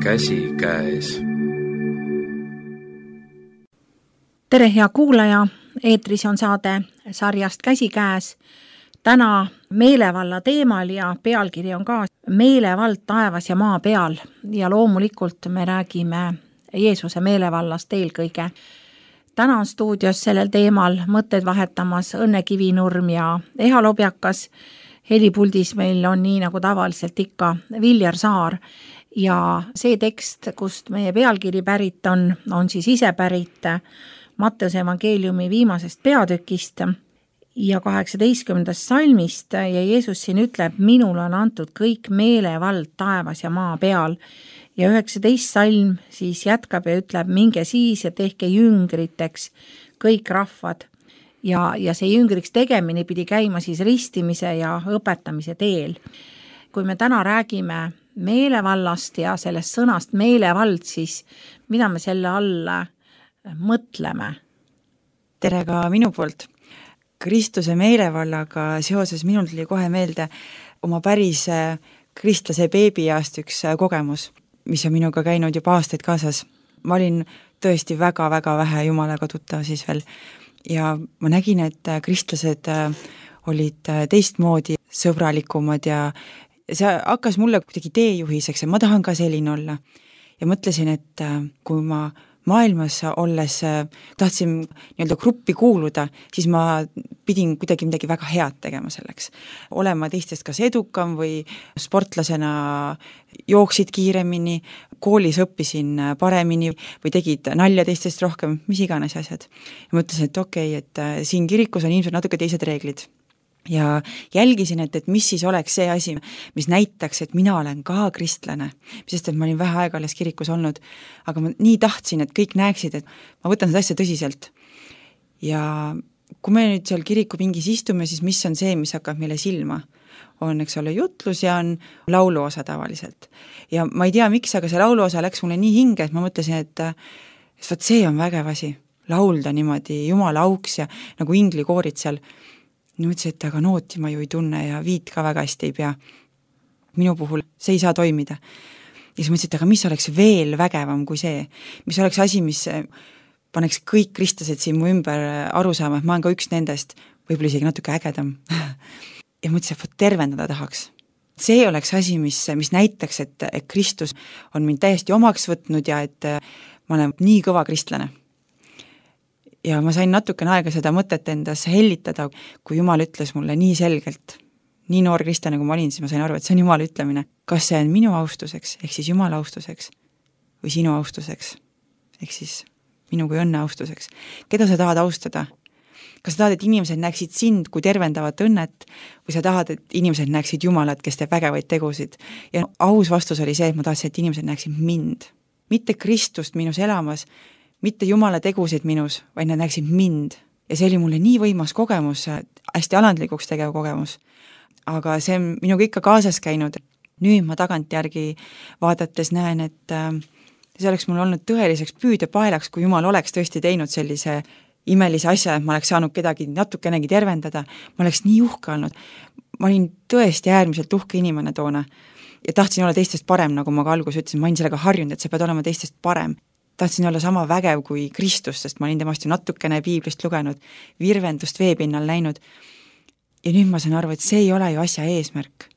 Käsi käes. Tere, hea kuulaja! Eetris on saade sarjast Käsi käes. Täna meelevalla teemal ja pealkiri on ka Meelevald taevas ja maa peal. Ja loomulikult me räägime Jeesuse meelevallast eelkõige. Täna on stuudios sellel teemal mõtted vahetamas Õnne Kivinurm ja Eha Lobjakas. Helipuldis meil on nii nagu tavaliselt ikka Viljar Saar. Ja see tekst, kust meie pealkiri pärit on siis ise pärit Matteuse evangeeliumi viimasest peatükist ja 18. salmist ja Jeesus siin ütleb, minul on antud kõik meelevald taevas ja maa peal. Ja 19. salm siis jätkab ja ütleb, minge siis ja tehke jüngriteks kõik rahvad. Ja see jüngriks tegemine pidi käima siis ristimise ja õpetamise teel. Kui me täna räägime meelevallast ja sellest sõnast meelevald, siis mida me selle all mõtleme? Tere ka minu poolt. Kristuse meelevallaga seoses minul tuli kohe meelde oma päris kristlase beebiaast üks kogemus, mis on minuga käinud juba aastaid kaasas. Ma olin tõesti väga-väga vähe Jumalaga tuttav siis veel ja ma nägin, et kristlased olid teistmoodi sõbralikumad ja see hakkas mulle kuidagi teejuhiseks ja ma tahan ka selline olla. Ja mõtlesin, et kui ma maailmas olles tahtsin nii-öelda gruppi kuuluda, siis ma pidin kuidagi midagi väga head tegema selleks. Olema teistest kas edukam või sportlasena jooksid kiiremini, koolis õppisin paremini või tegid nalja teistest rohkem, mis iganes asjad. Ja mõtlesin, et okei, et siin kirikus on ilmselt natuke teised reeglid. Ja jälgisin, et mis siis oleks see asi, mis näitaks, et mina olen ka kristlane, sest et ma olin vähe aega alles kirikus olnud, aga ma nii tahtsin, et kõik näeksid, et ma võtan seda asja tõsiselt. Ja kui me nüüd seal kirikupingis istume, siis mis on see, mis hakkab meile silma? On, eks ole, jutlus ja on lauluosa tavaliselt. Ja ma ei tea, miks, aga see lauluosa läks mulle nii hinge, et ma mõtlesin, et võt see on vägev asi, laulda niimoodi Jumala auks ja nagu inglikoorid seal. Nii mõtlesin, et aga nooti ma ju ei tunne ja viit ka väga hästi ei pea. Minu puhul see ei saa toimida. Ja siis mõtlesin, et aga mis oleks veel vägevam kui see? Mis oleks asi, mis paneks kõik kristlased siin mu ümber aru saama, et ma olen ka üks nendest, võib-olla isegi natuke ägedam. Ja mõtlesin, et tervendada tahaks. See oleks asi, mis näitaks, et Kristus on mind täiesti omaks võtnud ja et ma olen nii kõva kristlane. Ja ma sain natukene aega seda mõtet endas hellitada, kui Jumal ütles mulle nii selgelt, nii noor kristlane kui ma olin, siis ma sain aru, et see on Jumala ütlemine. Kas see on minu austuseks, ehk siis Jumala austuseks või sinu austuseks, ehk siis minu kui õnne austuseks. Keda sa tahad austada? Kas sa tahad, et inimesed näeksid sind kui tervendavat õnnet või sa tahad, et inimesed näeksid Jumalat, kes teeb vägevaid tegusid? Ja aus vastus oli see, et ma tahtsin, et inimesed näeksid mind. Mitte Kristust minus elamas, mitte Jumala tegusid minus, vaid nad näeksid mind. Ja see oli mulle nii võimas kogemus, hästi alandlikuks tegev kogemus. Aga see on minuga ikka kaasas käinud. Nüüd ma tagantjärgi vaadates näen, et see oleks mul olnud tõeliseks püüdepaelaks, kui Jumal oleks tõesti teinud sellise imelise asja, et ma oleks saanud kedagi natukenegi tervendada. Ma oleks nii uhke olnud. Ma olin tõesti äärmiselt uhke inimene toona. Ja tahtsin olla teistest parem, nagu ma ka algus ütlesin. Ma olin sellega harjunud, et sa pead olema teistest parem. Tahtsin olla sama vägev kui Kristus, sest ma olin temast ju natukene piiblist lugenud, virvendust veepinnal näinud. Ja nüüd ma saan aru, et see ei ole ju asja eesmärk.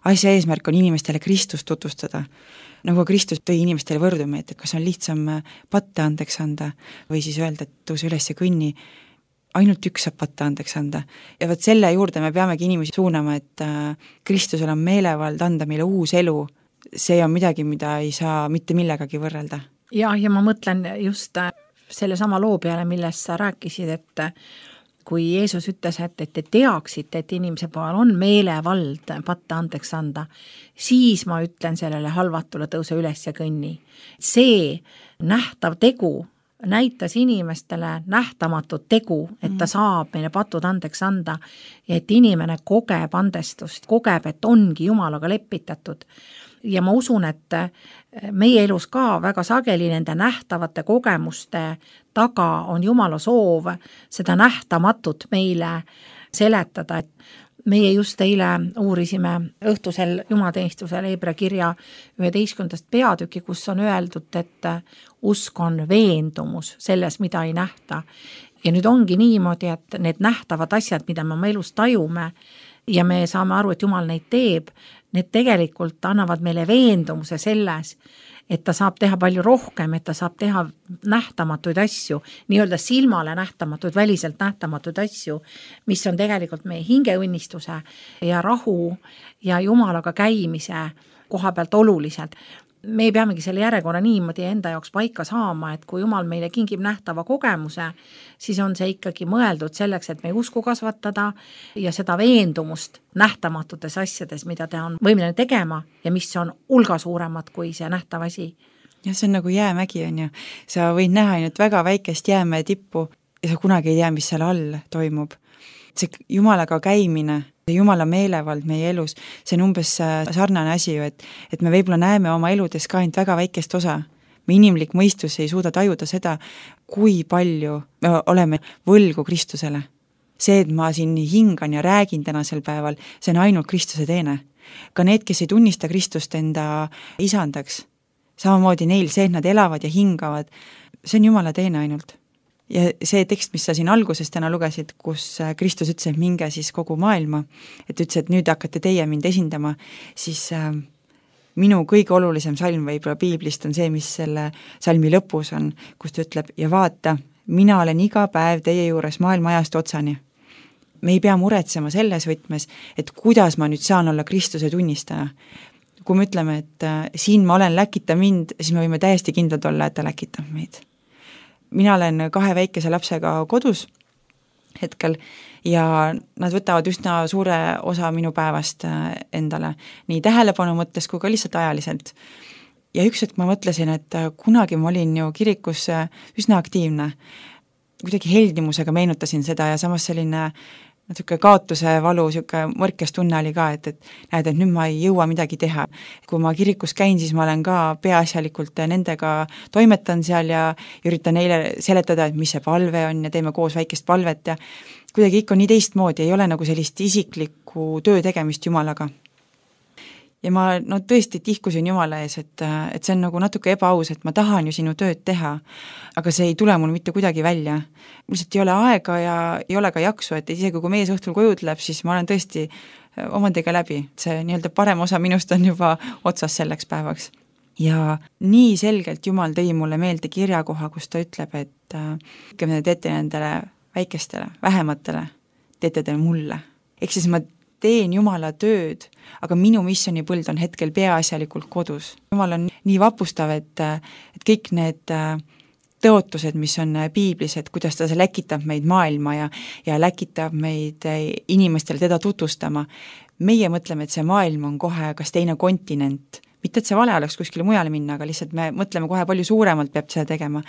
Asja eesmärk on inimestele Kristust tutvustada. Nagu Kristus tõi inimestele võrdumi, et kas on lihtsam patte andeks anda või siis öelda, et tõuse üles ja kõnni. Ainult üks saab patte andeks anda. Ja võt selle juurde me peamegi inimesi suunama, et Kristusel on meelevald anda meile uus elu. See on midagi, mida ei saa mitte millegagi võrrelda. Ja ma mõtlen just selle sama loo peale, millest sa rääkisid, et kui Jeesus ütles, et te teaksite, et inimese pool on meelevald patte andeks anda, siis ma ütlen sellele halvatule tõuse üles ja kõnni. See nähtav tegu näitas inimestele nähtamatut tegu, et ta saab meile patud andeks anda ja et inimene kogeb andestust, kogeb, et ongi Jumalaga lepitatud. Ja ma usun, et meie elus ka väga sageli nende nähtavate kogemuste taga on Jumala soov seda nähtamatut meile seletada, meie just eile uurisime õhtusel jumateenistusel Hebra kirja 11. peatüki, kus on öeldud, et usk on veendumus selles, mida ei nähta. Ja nüüd ongi niimoodi, et need nähtavad asjad, mida me oma elus tajume ja me saame aru, et Jumal neid teeb, need tegelikult annavad meile veendumuse selles, et ta saab teha palju rohkem, et ta saab teha nähtamatuid asju, nii-öelda silmale nähtamatuid, väliselt nähtamatuid asju, mis on tegelikult meie hingeõnnistuse ja rahu ja Jumalaga käimise koha pealt oluliselt. Me peamegi selle järjekorra niimoodi enda jaoks paika saama, et kui Jumal meile kingib nähtava kogemuse, siis on see ikkagi mõeldud selleks, et meie usku kasvatada ja seda veendumust nähtamatutes asjades, mida ta on võimeline tegema ja mis on hulga suuremad kui see nähtav asi. Ja see on nagu jäämägi, on ju. Sa võid näha ainult väga väikest jäämäe tippu ja sa kunagi ei tea, mis seal all toimub. See Jumalaga käimine, Jumala meelevald meie elus, see on umbes sarnane asi ju, et me võib-olla näeme oma eludes ka ainult väga väikest osa. Me inimlik mõistus ei suuda tajuda seda, kui palju me oleme võlgu Kristusele. See, et ma siin hingan ja räägin tänasel päeval, see on ainult Kristuse teene. Ka need, kes ei tunnista Kristust enda isandaks, samamoodi neil see, et nad elavad ja hingavad, see on Jumala teene ainult. Ja see tekst, mis sa siin alguses täna lugesid, kus Kristus ütles, et minge siis kogu maailma, et ütles, et nüüd hakkate teie mind esindama, siis minu kõige olulisem salm võib-olla piiblist on see, mis selle salmi lõpus on, kus ta ütleb, ja vaata, mina olen iga päev teie juures maailma ajast otsani. Me ei pea muretsema selles võtmes, et kuidas ma nüüd saan olla Kristuse tunnistaja. Kui me ütleme, et siin ma olen, läkita mind, siis me võime täiesti kindlad olla, et ta läkitab meid. Mina olen 2 väikese lapsega kodus hetkel ja nad võtavad üsna suure osa minu päevast endale, nii tähelepanu mõttes kui ka lihtsalt ajaliselt. Ja üks hetk ma mõtlesin, et kunagi ma olin ju kirikus üsna aktiivne. Kuidagi heldimusega meenutasin seda ja samas selline natuke kaotuse valu, siuke mõrkes tunne oli ka, et näed, et nüüd ma ei jõua midagi teha. Kui ma kirikus käin, siis ma olen ka peaasjalikult nendega toimetan seal ja üritan neile seletada, et mis see palve on ja teeme koos väikest palvet ja kuidagi ikka nii teistmoodi, ei ole nagu sellist isiklikku töö tegemist Jumalaga. Ja ma tõesti tihkusin Jumala ees, et see on nagu natuke ebaaus, et ma tahan ju sinu tööd teha, aga see ei tule mul mitte kuidagi välja. Lihtsalt ei ole aega ja ei ole ka jaksu, et isegi kui mees õhtul koju tuleb, siis ma olen tõesti omadega läbi. See nii-öelda parem osa minust on juba otsas selleks päevaks. Ja nii selgelt Jumal tõi mulle meelde kirjakoha, kus ta ütleb, et me teete nendele väikestele, vähematele, teete te mulle. Ehk siis ma teen Jumala tööd, aga minu missionipõld on hetkel peaasjalikult kodus. Jumal on nii vapustav, et kõik need tõotused, mis on piiblis, et kuidas ta läkitab meid maailma ja läkitab meid inimestele teda tutvustama. Meie mõtleme, et see maailm on kohe kas teine kontinent, mitte et see vale oleks kuskile mujale minna, aga lihtsalt me mõtleme kohe palju suuremalt peab seda tegema.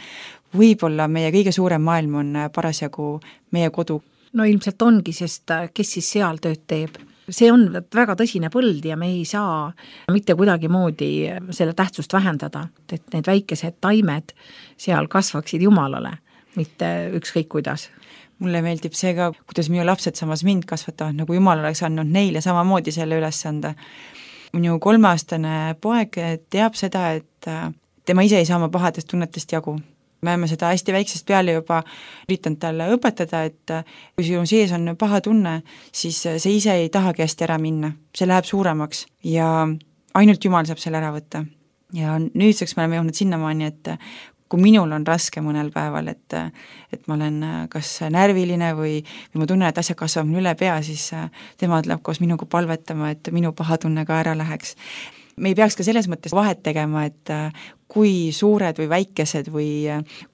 Võib-olla meie kõige suurem maailm on parasjagu meie kodu. No ilmselt ongi, sest kes siis seal tööd teeb. See on väga tõsine põld ja me ei saa mitte kuidagi moodi selle tähtsust vähendada, et need väikesed taimed seal kasvaksid Jumalale, mitte ükskõik kuidas. Mulle meeldib see ka, kuidas minu lapsed samas mind kasvatavad, nagu Jumal oleks andnud neile samamoodi selle ülesande. Minu 3-aastane poeg teab seda, et tema ise ei saa oma pahadest tunnetest jagu. Me oleme seda hästi väiksest peale juba üritanud talle õpetada, et kui sinu sees on paha tunne, siis see ise ei tahagi hästi ära minna. See läheb suuremaks ja ainult Jumal saab selle ära võtta. Ja nüüdseks me oleme jõudnud sinnamaani, et kui minul on raske mõnel päeval, et ma olen kas närviline või ma tunnen, et asjad kasvavad mul üle pea, siis tema tuleb koos minuga palvetama, et minu paha tunne ka ära läheks. Me ei peaks ka selles mõttes vahet tegema, et kui suured või väikesed või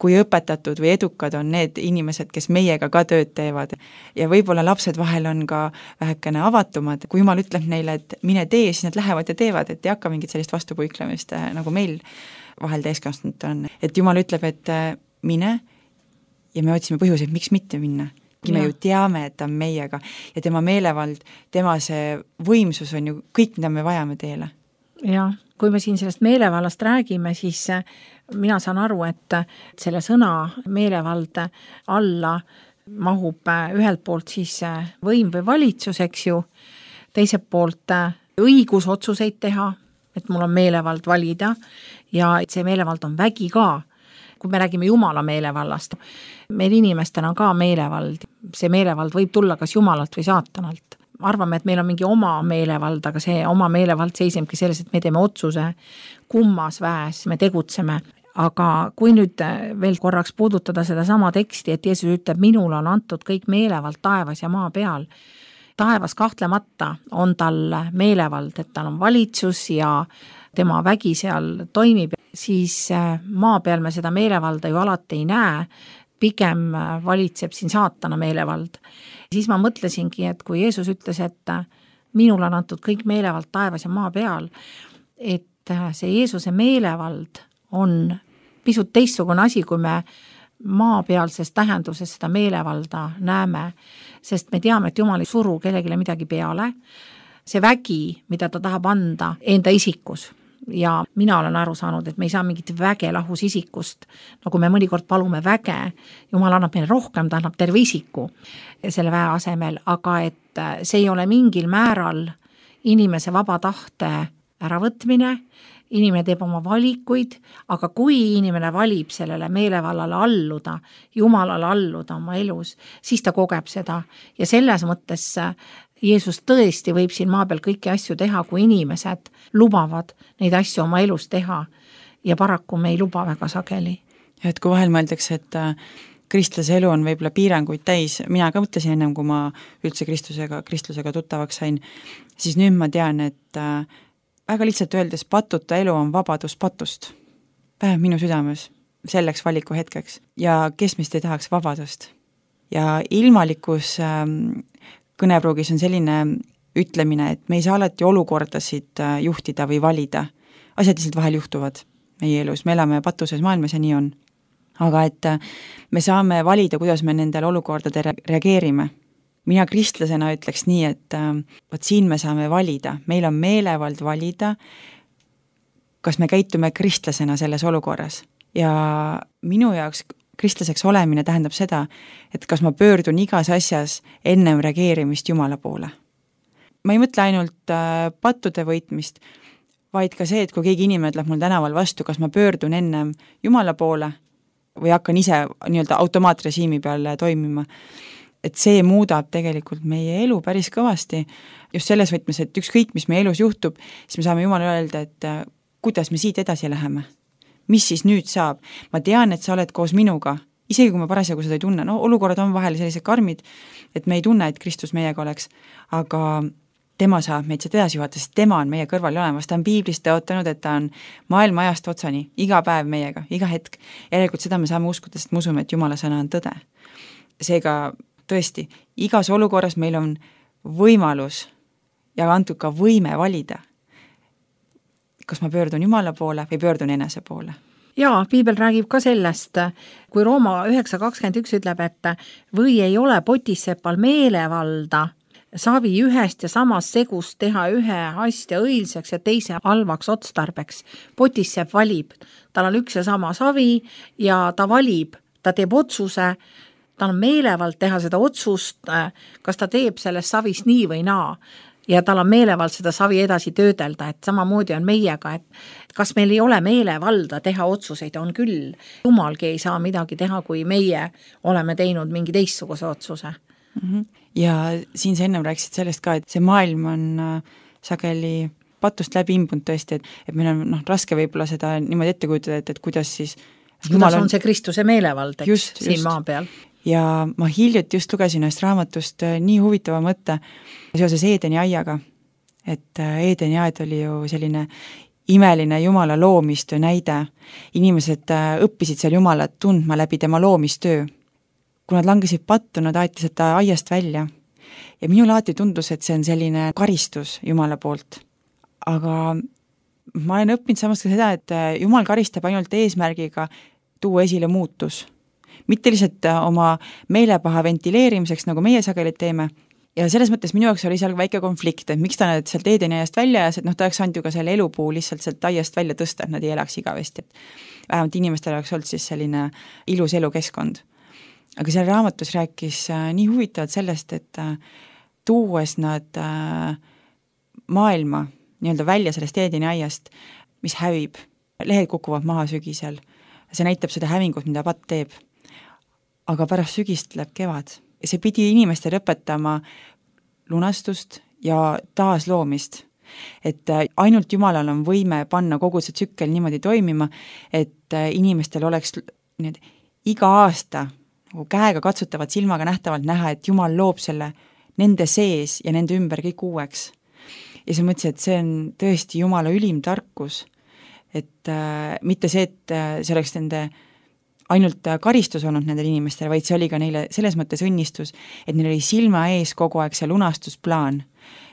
kui õpetatud või edukad on need inimesed, kes meiega ka tööd teevad. Ja võib-olla lapsed vahel on ka vähekene avatumad. Kui Jumal ütleb neile, et mine tee, siis nad lähevad ja teevad, et ei hakka mingit sellist vastupuiklemist, nagu meil vahel täiskasvanud on. Et Jumal ütleb, et mine ja me otsime põhjuseid, miks mitte minna. Me ju teame, et ta on meiega ja tema meelevald, tema see võimsus on ju kõik, mida me vajame teele. Ja kui me siin sellest meelevallast räägime, siis mina saan aru, et selle sõna meelevald alla mahub ühelt poolt siis võim või valitsus, eks ju, teiselt poolt õigus otsuseid teha, et mul on meelevald valida ja see meelevald on vägi ka. Kui me räägime Jumala meelevallast, meil inimestena on ka meelevald. See meelevald võib tulla kas Jumalalt või saatanalt. Arvame, et meil on mingi oma meelevald, aga see oma meelevald seisebki selles, et me teeme otsuse kummas väes, me tegutseme. Aga kui nüüd veel korraks puudutada seda sama teksti, et Jeesus ütleb, minul on antud kõik meelevald taevas ja maa peal. Taevas kahtlemata on tal meelevald, et tal on valitsus ja tema vägi seal toimib, siis maa peal me seda meelevalda ju alati ei näe, pigem valitseb siin saatana meelevald. Siis ma mõtlesingi, et kui Jeesus ütles, et minul on antud kõik meelevald taevas ja maa peal, et see Jeesuse meelevald on pisut teistsugune asi, kui me maapealses tähenduses seda meelevalda näeme, sest me teame, et Jumal ei suru kellelegi midagi peale. See vägi, mida ta tahab anda enda isikus ja mina olen aru saanud, et me ei saa mingit väge lahus isikust, nagu me mõnikord palume väge, Jumal annab meile rohkem, ta annab terve isiku selle väe asemel, aga et see ei ole mingil määral inimese vaba tahte äravõtmine, inimene teeb oma valikuid, aga kui inimene valib sellele meelevallale alluda, Jumalale alluda oma elus, siis ta kogeb seda ja selles mõttes Jeesus tõesti võib siin maa peal kõiki asju teha, kui inimesed lubavad neid asju oma elus teha ja paraku me ei luba väga sageli. Et kui vahel mõeldakse, et kristlase elu on võib-olla piiranguid täis, mina ka mõtlesin ennem, kui ma üldse kristlusega tuttavaks sain, siis nüüd ma tean, et väga lihtsalt öeldes patuta elu on vabadus patust. Vähemalt minu südames selleks valiku hetkeks. Ja kes meist ei tahaks vabadust? Ja ilmalikus kõnepruugis on selline ütlemine, et me ei saa alati olukordasid juhtida või valida. Asjad lihtsalt vahel juhtuvad meie elus. Me elame patuses maailmas ja nii on. Aga et me saame valida, kuidas me nendele olukordade reageerime. Mina kristlasena ütleks nii, et võt siin me saame valida. Meil on meelevald valida, kas me käitume kristlasena selles olukorras. Ja minu jaoks kristlaseks olemine tähendab seda, et kas ma pöördun igas asjas ennem reageerimist Jumala poole. Ma ei mõtle ainult pattude võitmist, vaid ka see, et kui keegi inimene tuleb mul tänaval vastu, kas ma pöördun ennem Jumala poole või hakkan ise nii-öelda automaatrežiimi peal toimima. Et see muudab tegelikult meie elu päris kõvasti. Just selles võtmes, et ükskõik, mis meie elus juhtub, siis me saame Jumala öelda, et kuidas me siit edasi läheme. Mis siis nüüd saab? Ma tean, et sa oled koos minuga, isegi kui ma parasjagu seda ei tunne. No, olukorrad on vahel sellised karmid, et me ei tunne, et Kristus meiega oleks, aga tema saab meid seda edasi juhata, sest tema on meie kõrval olemas. Ta on piiblist tõotanud, et ta on maailma ajast otsani, iga päev meiega, iga hetk. Järelikult seda me saame uskuda, sest me usume, et Jumala sõna on tõde. Seega tõesti, igas olukorras meil on võimalus ja antud ka võime valida, kas ma pöördun Jumala poole või pöördun enese poole. Jaa, piibel räägib ka sellest, kui Rooma 9.21 ütleb, et või ei ole potissepal meelevalda savi ühest ja samast segust teha ühe asja õilseks ja teise halvaks otstarbeks. Potissepp valib, tal on üks ja sama savi ja ta valib, ta teeb otsuse, tal on meelevald teha seda otsust, kas ta teeb sellest savist nii või naa. Ja tal on meelevald seda savi edasi töödelda, et samamoodi on meiega, et kas meil ei ole meelevalda teha otsuseid, on küll. Jumalgi ei saa midagi teha, kui meie oleme teinud mingi teistsuguse otsuse. Ja siin sa ennem rääkisid sellest ka, et see maailm on sageli patust läbi imbunud tõesti, et meil on raske võib-olla seda niimoodi ette kujutada, et kuidas siis kuidas on see Kristuse meelevald, eks, siin maa peal. Ja ma hiljuti just lugesin ühest raamatust nii huvitava mõtte seoses Eedeni aiaga, et Eedeni aed oli ju selline imeline Jumala loomistöö näide. Inimesed õppisid seal Jumalat tundma läbi tema loomistöö. Kui nad langesid pattu, nad aeti seda aiast välja. Ja minul alati tundus, et see on selline karistus Jumala poolt. Aga ma olen õppinud samas ka seda, et Jumal karistab ainult eesmärgiga tuua esile muutus. Mitte lihtsalt oma meelepaha ventileerimiseks, nagu meie sageli teeme. Ja selles mõttes minu jaoks oli seal väike konflikt, et miks ta nad sealt Eedeni aiast välja ja ta oleks andnud ju ka selle elupuu lihtsalt sealt aiast välja tõsta, et nad ei elaks igavesti. Vähemalt inimestel oleks olnud siis selline ilus elukeskkond. aga seal raamatus rääkis nii huvitavalt sellest, et tuues nad maailma nii-öelda välja sellest Eedeni aiast, mis hävib, lehed kukuvad maha sügisel, see näitab seda hävingut, mida patt teeb. Aga pärast sügist tuleb kevad. See pidi inimestele õpetama lunastust ja taasloomist. Et ainult Jumalal on võime panna kogu see tsükkel niimoodi toimima, et inimestel oleks iga aasta nagu käega katsutavad silmaga nähtavalt näha, et Jumal loob selle nende sees ja nende ümber kõik uueks. Ja siis mõtlesin, et see on tõesti Jumala ülim tarkus, et mitte see, et see oleks nende ainult karistus olnud nendele inimestele, vaid see oli ka neile selles mõttes õnnistus, et neil oli silma ees kogu aeg see lunastusplaan.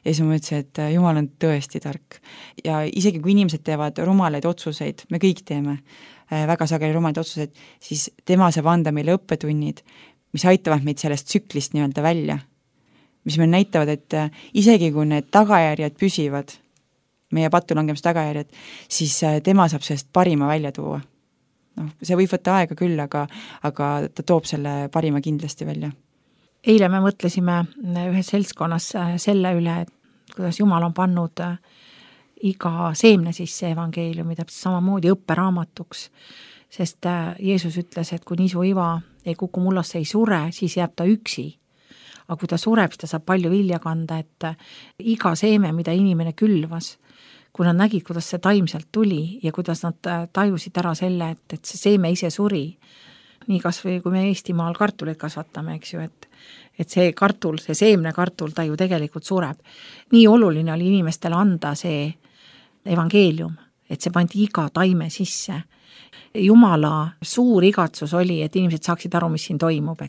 Ja siis ma mõtlesin, et Jumal on tõesti tark. Ja isegi kui inimesed teevad rumalaid otsuseid, me kõik teeme väga sageli rumalaid otsuseid, siis tema saab anda meile õppetunnid, mis aitavad meid sellest tsüklist nii-öelda välja. Mis meil näitavad, et isegi kui need tagajärjed püsivad, meie patulangemise tagajärjed, siis tema saab sellest parima välja tuua. See võib võtta aega küll, aga ta toob selle parima kindlasti välja. Eile me mõtlesime ühes seltskonnas selle üle, et kuidas Jumal on pannud iga seemne sisse evangeeliumi täpselt samamoodi õpperaamatuks, sest Jeesus ütles, et kui niisu iva ei kuku mullasse, ei sure, siis jääb ta üksi. Aga kui ta sureb, siis ta saab palju vilja kanda, et iga seeme, mida inimene külvas, kui nad nägid, kuidas see taim sealt tuli ja kuidas nad tajusid ära selle, et see seeme ise suri. Nii kas või kui me Eestimaal kartuleid kasvatame, eks ju, et see kartul, see seemne kartul, ta ju tegelikult sureb. Nii oluline oli inimestele anda see evangeelium, et see pandi iga taime sisse. Jumala suur igatsus oli, et inimesed saaksid aru, mis siin toimub.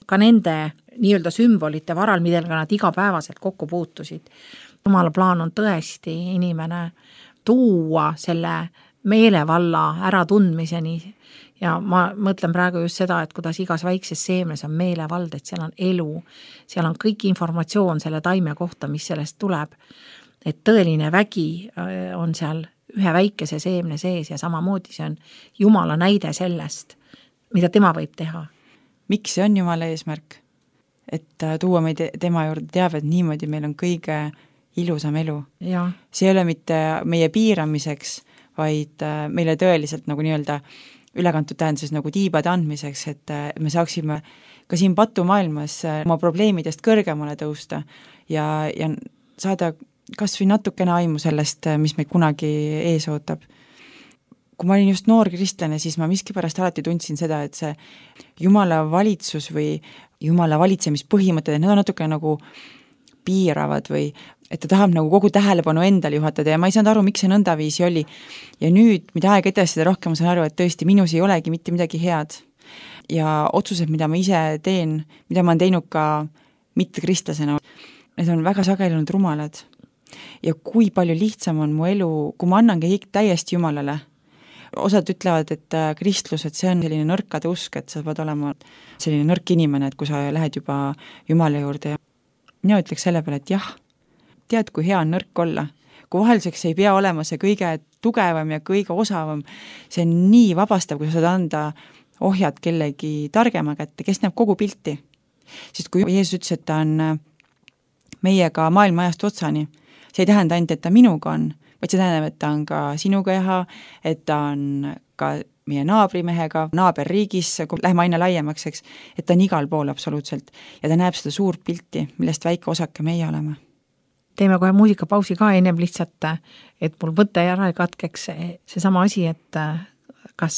Ka nende nii-öelda sümbolite varal, millega nad igapäevaselt kokku puutusid. Jumala plaan on tõesti inimene tuua selle meelevalla äratundmiseni ja ma mõtlen praegu just seda, et kuidas igas väikses seemnes on meelevald, et seal on elu, seal on kõik informatsioon selle taime kohta, mis sellest tuleb, et tõeline vägi on seal ühe väikese seemne sees ja samamoodi see on Jumala näide sellest, mida tema võib teha. Miks see on Jumala eesmärk? Et tuua meid tema juurde teavet niimoodi, meil on kõige ilusam elu. Ja. See ei ole mitte meie piiramiseks, vaid meile tõeliselt nagu nii-öelda ülekantud tähenduses nagu tiibade andmiseks, et me saaksime ka siin patumaailmas oma probleemidest kõrgemale tõusta ja saada kas või natukene aimu sellest, mis meid kunagi ees ootab. Kui ma olin just noor kristlane, siis ma miskipärast alati tundsin seda, et see Jumala valitsus või Jumala valitsemispõhimõtted, need on natuke nagu piiravad või et ta tahab nagu kogu tähelepanu endale juhatada ja ma ei saanud aru, miks see nõndaviisi oli. Ja nüüd, mida aeg edasi, seda rohkem ma saan aru, et tõesti minus ei olegi mitte midagi head. Ja otsused, mida ma ise teen, mida ma olen teinud ka mitte kristlasena, need on väga sageli olnud rumalad. Ja kui palju lihtsam on mu elu, kui ma annangi täiesti Jumalale. Osad ütlevad, et kristlus, et see on selline nõrkade usk, et sa pead olema selline nõrk inimene, et kui sa lähed juba Jumala juurde. Mina ütleks selle peale, et jah, tead, kui hea on nõrk olla. Kui vahelduseks ei pea olema see kõige tugevam ja kõige osavam, see on nii vabastav, kui sa saad anda ohjad kellegi targema kätte, kes näeb kogu pilti. Sest kui Jeesus ütles, et ta on meiega maailma ajast otsani, see ei tähenda ainult, et ta minuga on, vaid see tähendab, et ta on ka sinuga eha, et ta on ka meie naabrimehega, naaberriigis, kui läheme aina laiemaks, eks, et ta on igal pool absoluutselt ja ta näeb seda suurt pilti, millest väike osake meie oleme. Teeme kohe muusikapausi ka ennem lihtsalt, et mul võtte ära ei katkeks see sama asi, et kas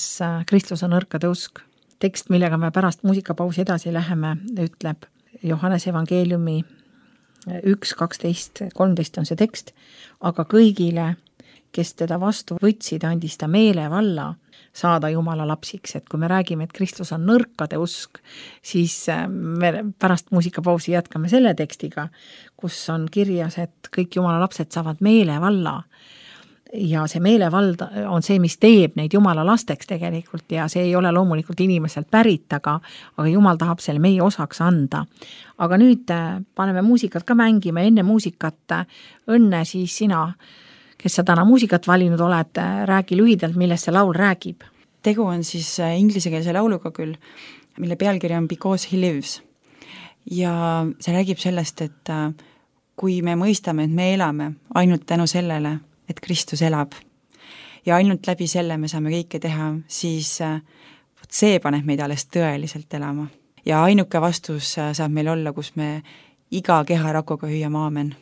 Kristus on nõrkade usk. Tekst, millega me pärast muusikapausi edasi läheme, ütleb Johannese evangeeliumi 1, 12, 13 on see tekst, aga kõigile, kes teda vastu võtsid, andis ta meelevalla saada Jumala lapsiks, et kui me räägime, et Kristus on nõrkade usk, siis me pärast muusikapausi jätkame selle tekstiga, kus on kirjas, et kõik Jumala lapsed saavad meelevalla ja see meelevald on see, mis teeb neid Jumala lasteks tegelikult ja see ei ole loomulikult inimeselt pärit, aga Jumal tahab selle meie osaks anda. Aga nüüd paneme muusikat ka mängima, enne muusikat Õnne siis sina, kes sa täna muusikat valinud oled, räägi lühidalt, millest see laul räägib. Tegu on siis inglisekeelse lauluga küll, mille pealkiri on Because he lives. Ja see räägib sellest, et kui me mõistame, et me elame ainult tänu sellele, et Kristus elab ja ainult läbi selle me saame kõike teha, siis see paneb meid alles tõeliselt elama. Ja ainuke vastus saab meil olla, kus me iga keharakuga hüüame aamen.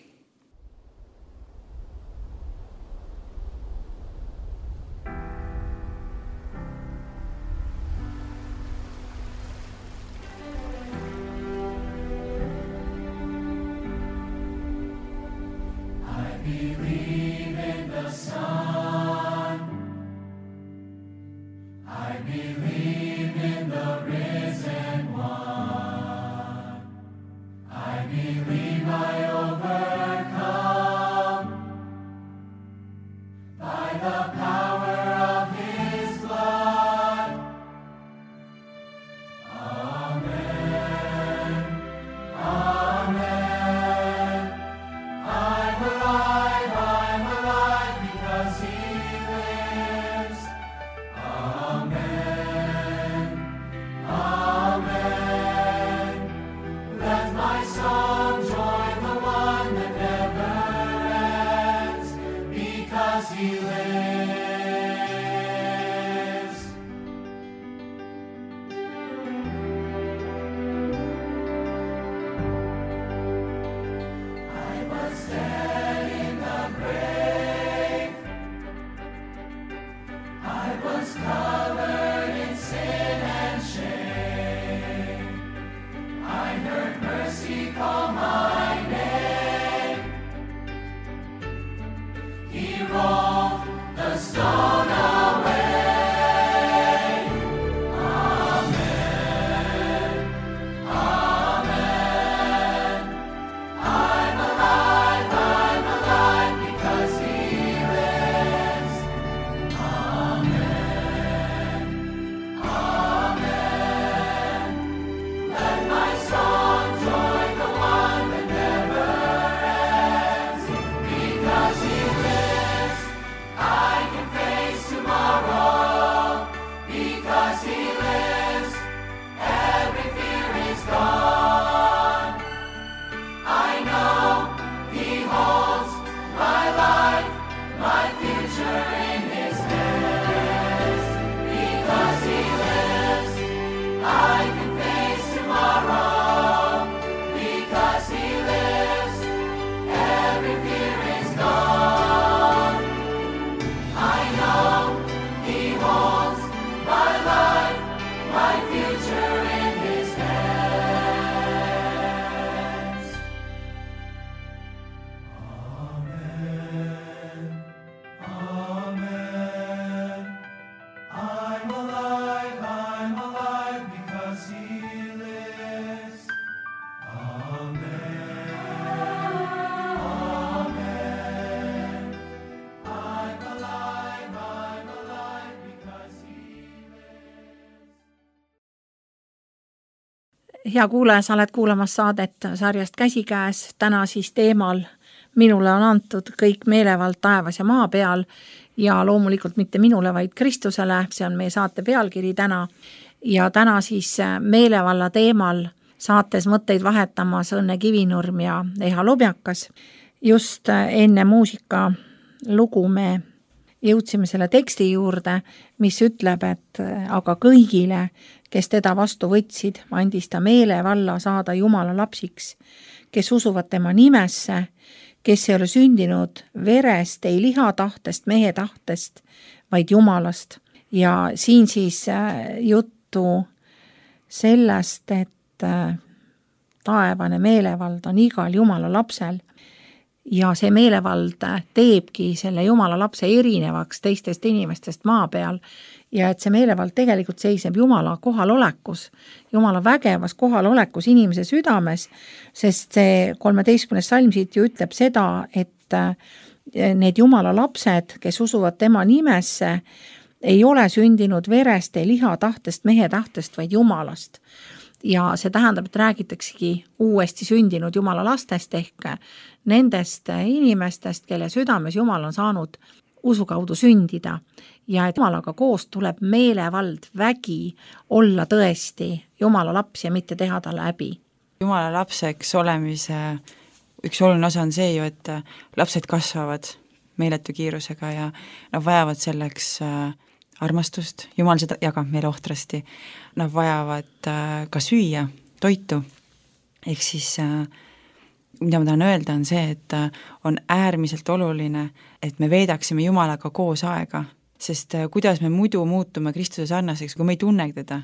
Hea kuulaja, sa oled kuulamas saadet sarjast Käsikäes, täna siis teemal minule on antud kõik meelevald taevas ja maa peal ja loomulikult mitte minule, vaid Kristusele, see on meie saate pealkiri täna. Ja täna siis meelevalla teemal saates mõtteid vahetamas Õnne Kivinurm ja Eha Lobjakas. Just enne muusika lugu me jõudsime selle teksti juurde, mis ütleb, et aga kõigile, kes teda vastu võtsid, andis ta meelevalla saada Jumala lapsiks, kes usuvad tema nimesse, kes ei ole sündinud verest, ei liha tahtest, mehe tahtest, vaid Jumalast. Ja siin siis juttu sellest, et taevane meelevald on igal Jumala lapsel ja see meelevald teebki selle Jumala lapse erinevaks teistest inimestest maa peal ja et see meelevald tegelikult seisneb Jumala kohalolekus, Jumala vägevas kohalolekus inimese südames, sest see 13. salm siit ju ütleb seda, et need Jumala lapsed, kes usuvad tema nimesse, ei ole sündinud verest, ei liha tahtest, mehe tahtest, vaid Jumalast. Ja see tähendab, et räägitaksegi uuesti sündinud Jumala lastest ehk nendest inimestest, kelle südames Jumal on saanud usu kaudu sündida ja et Jumalaga koos tuleb meelevald, vägi olla tõesti Jumala laps ja mitte teha talle häbi. Jumala lapseks olemise üks oluline osa on see ju, et lapsed kasvavad meeletu kiirusega ja nad vajavad selleks armastust, Jumal seda jagab meile ohtrasti, nad vajavad ka süüa, toitu, ehk siis mida ma tahan öelda, on see, et on äärmiselt oluline, et me veedaksime Jumalaga koos aega, sest kuidas me muidu muutume Kristuse sarnaseks, kui me ei tunne teda,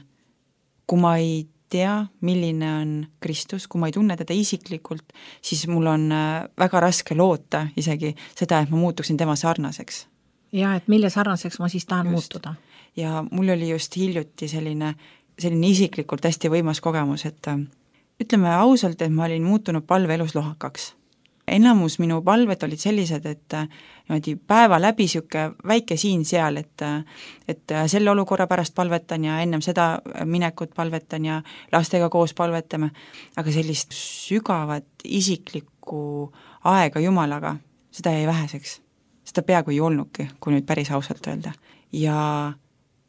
kui ma ei tea, milline on Kristus, kui ma ei tunne teda isiklikult, siis mul on väga raske loota isegi seda, et ma muutuksin tema sarnaseks. Ja et mille sarnaseks ma siis tahan muutuda. Ja mul oli just hiljuti selline isiklikult hästi võimas kogemus, et ütleme ausalt, et ma olin muutunud palveelus lohakaks. Enamus minu palved olid sellised, et päeva läbi siuke väike siin-seal, et selle olukorra pärast palvetan ja ennem seda minekut palvetan ja lastega koos palvetame, aga sellist sügavat isiklikku aega Jumalaga, seda jäi väheseks. Seda peaaegu ei olnudki, kui nüüd päris ausalt öelda. Ja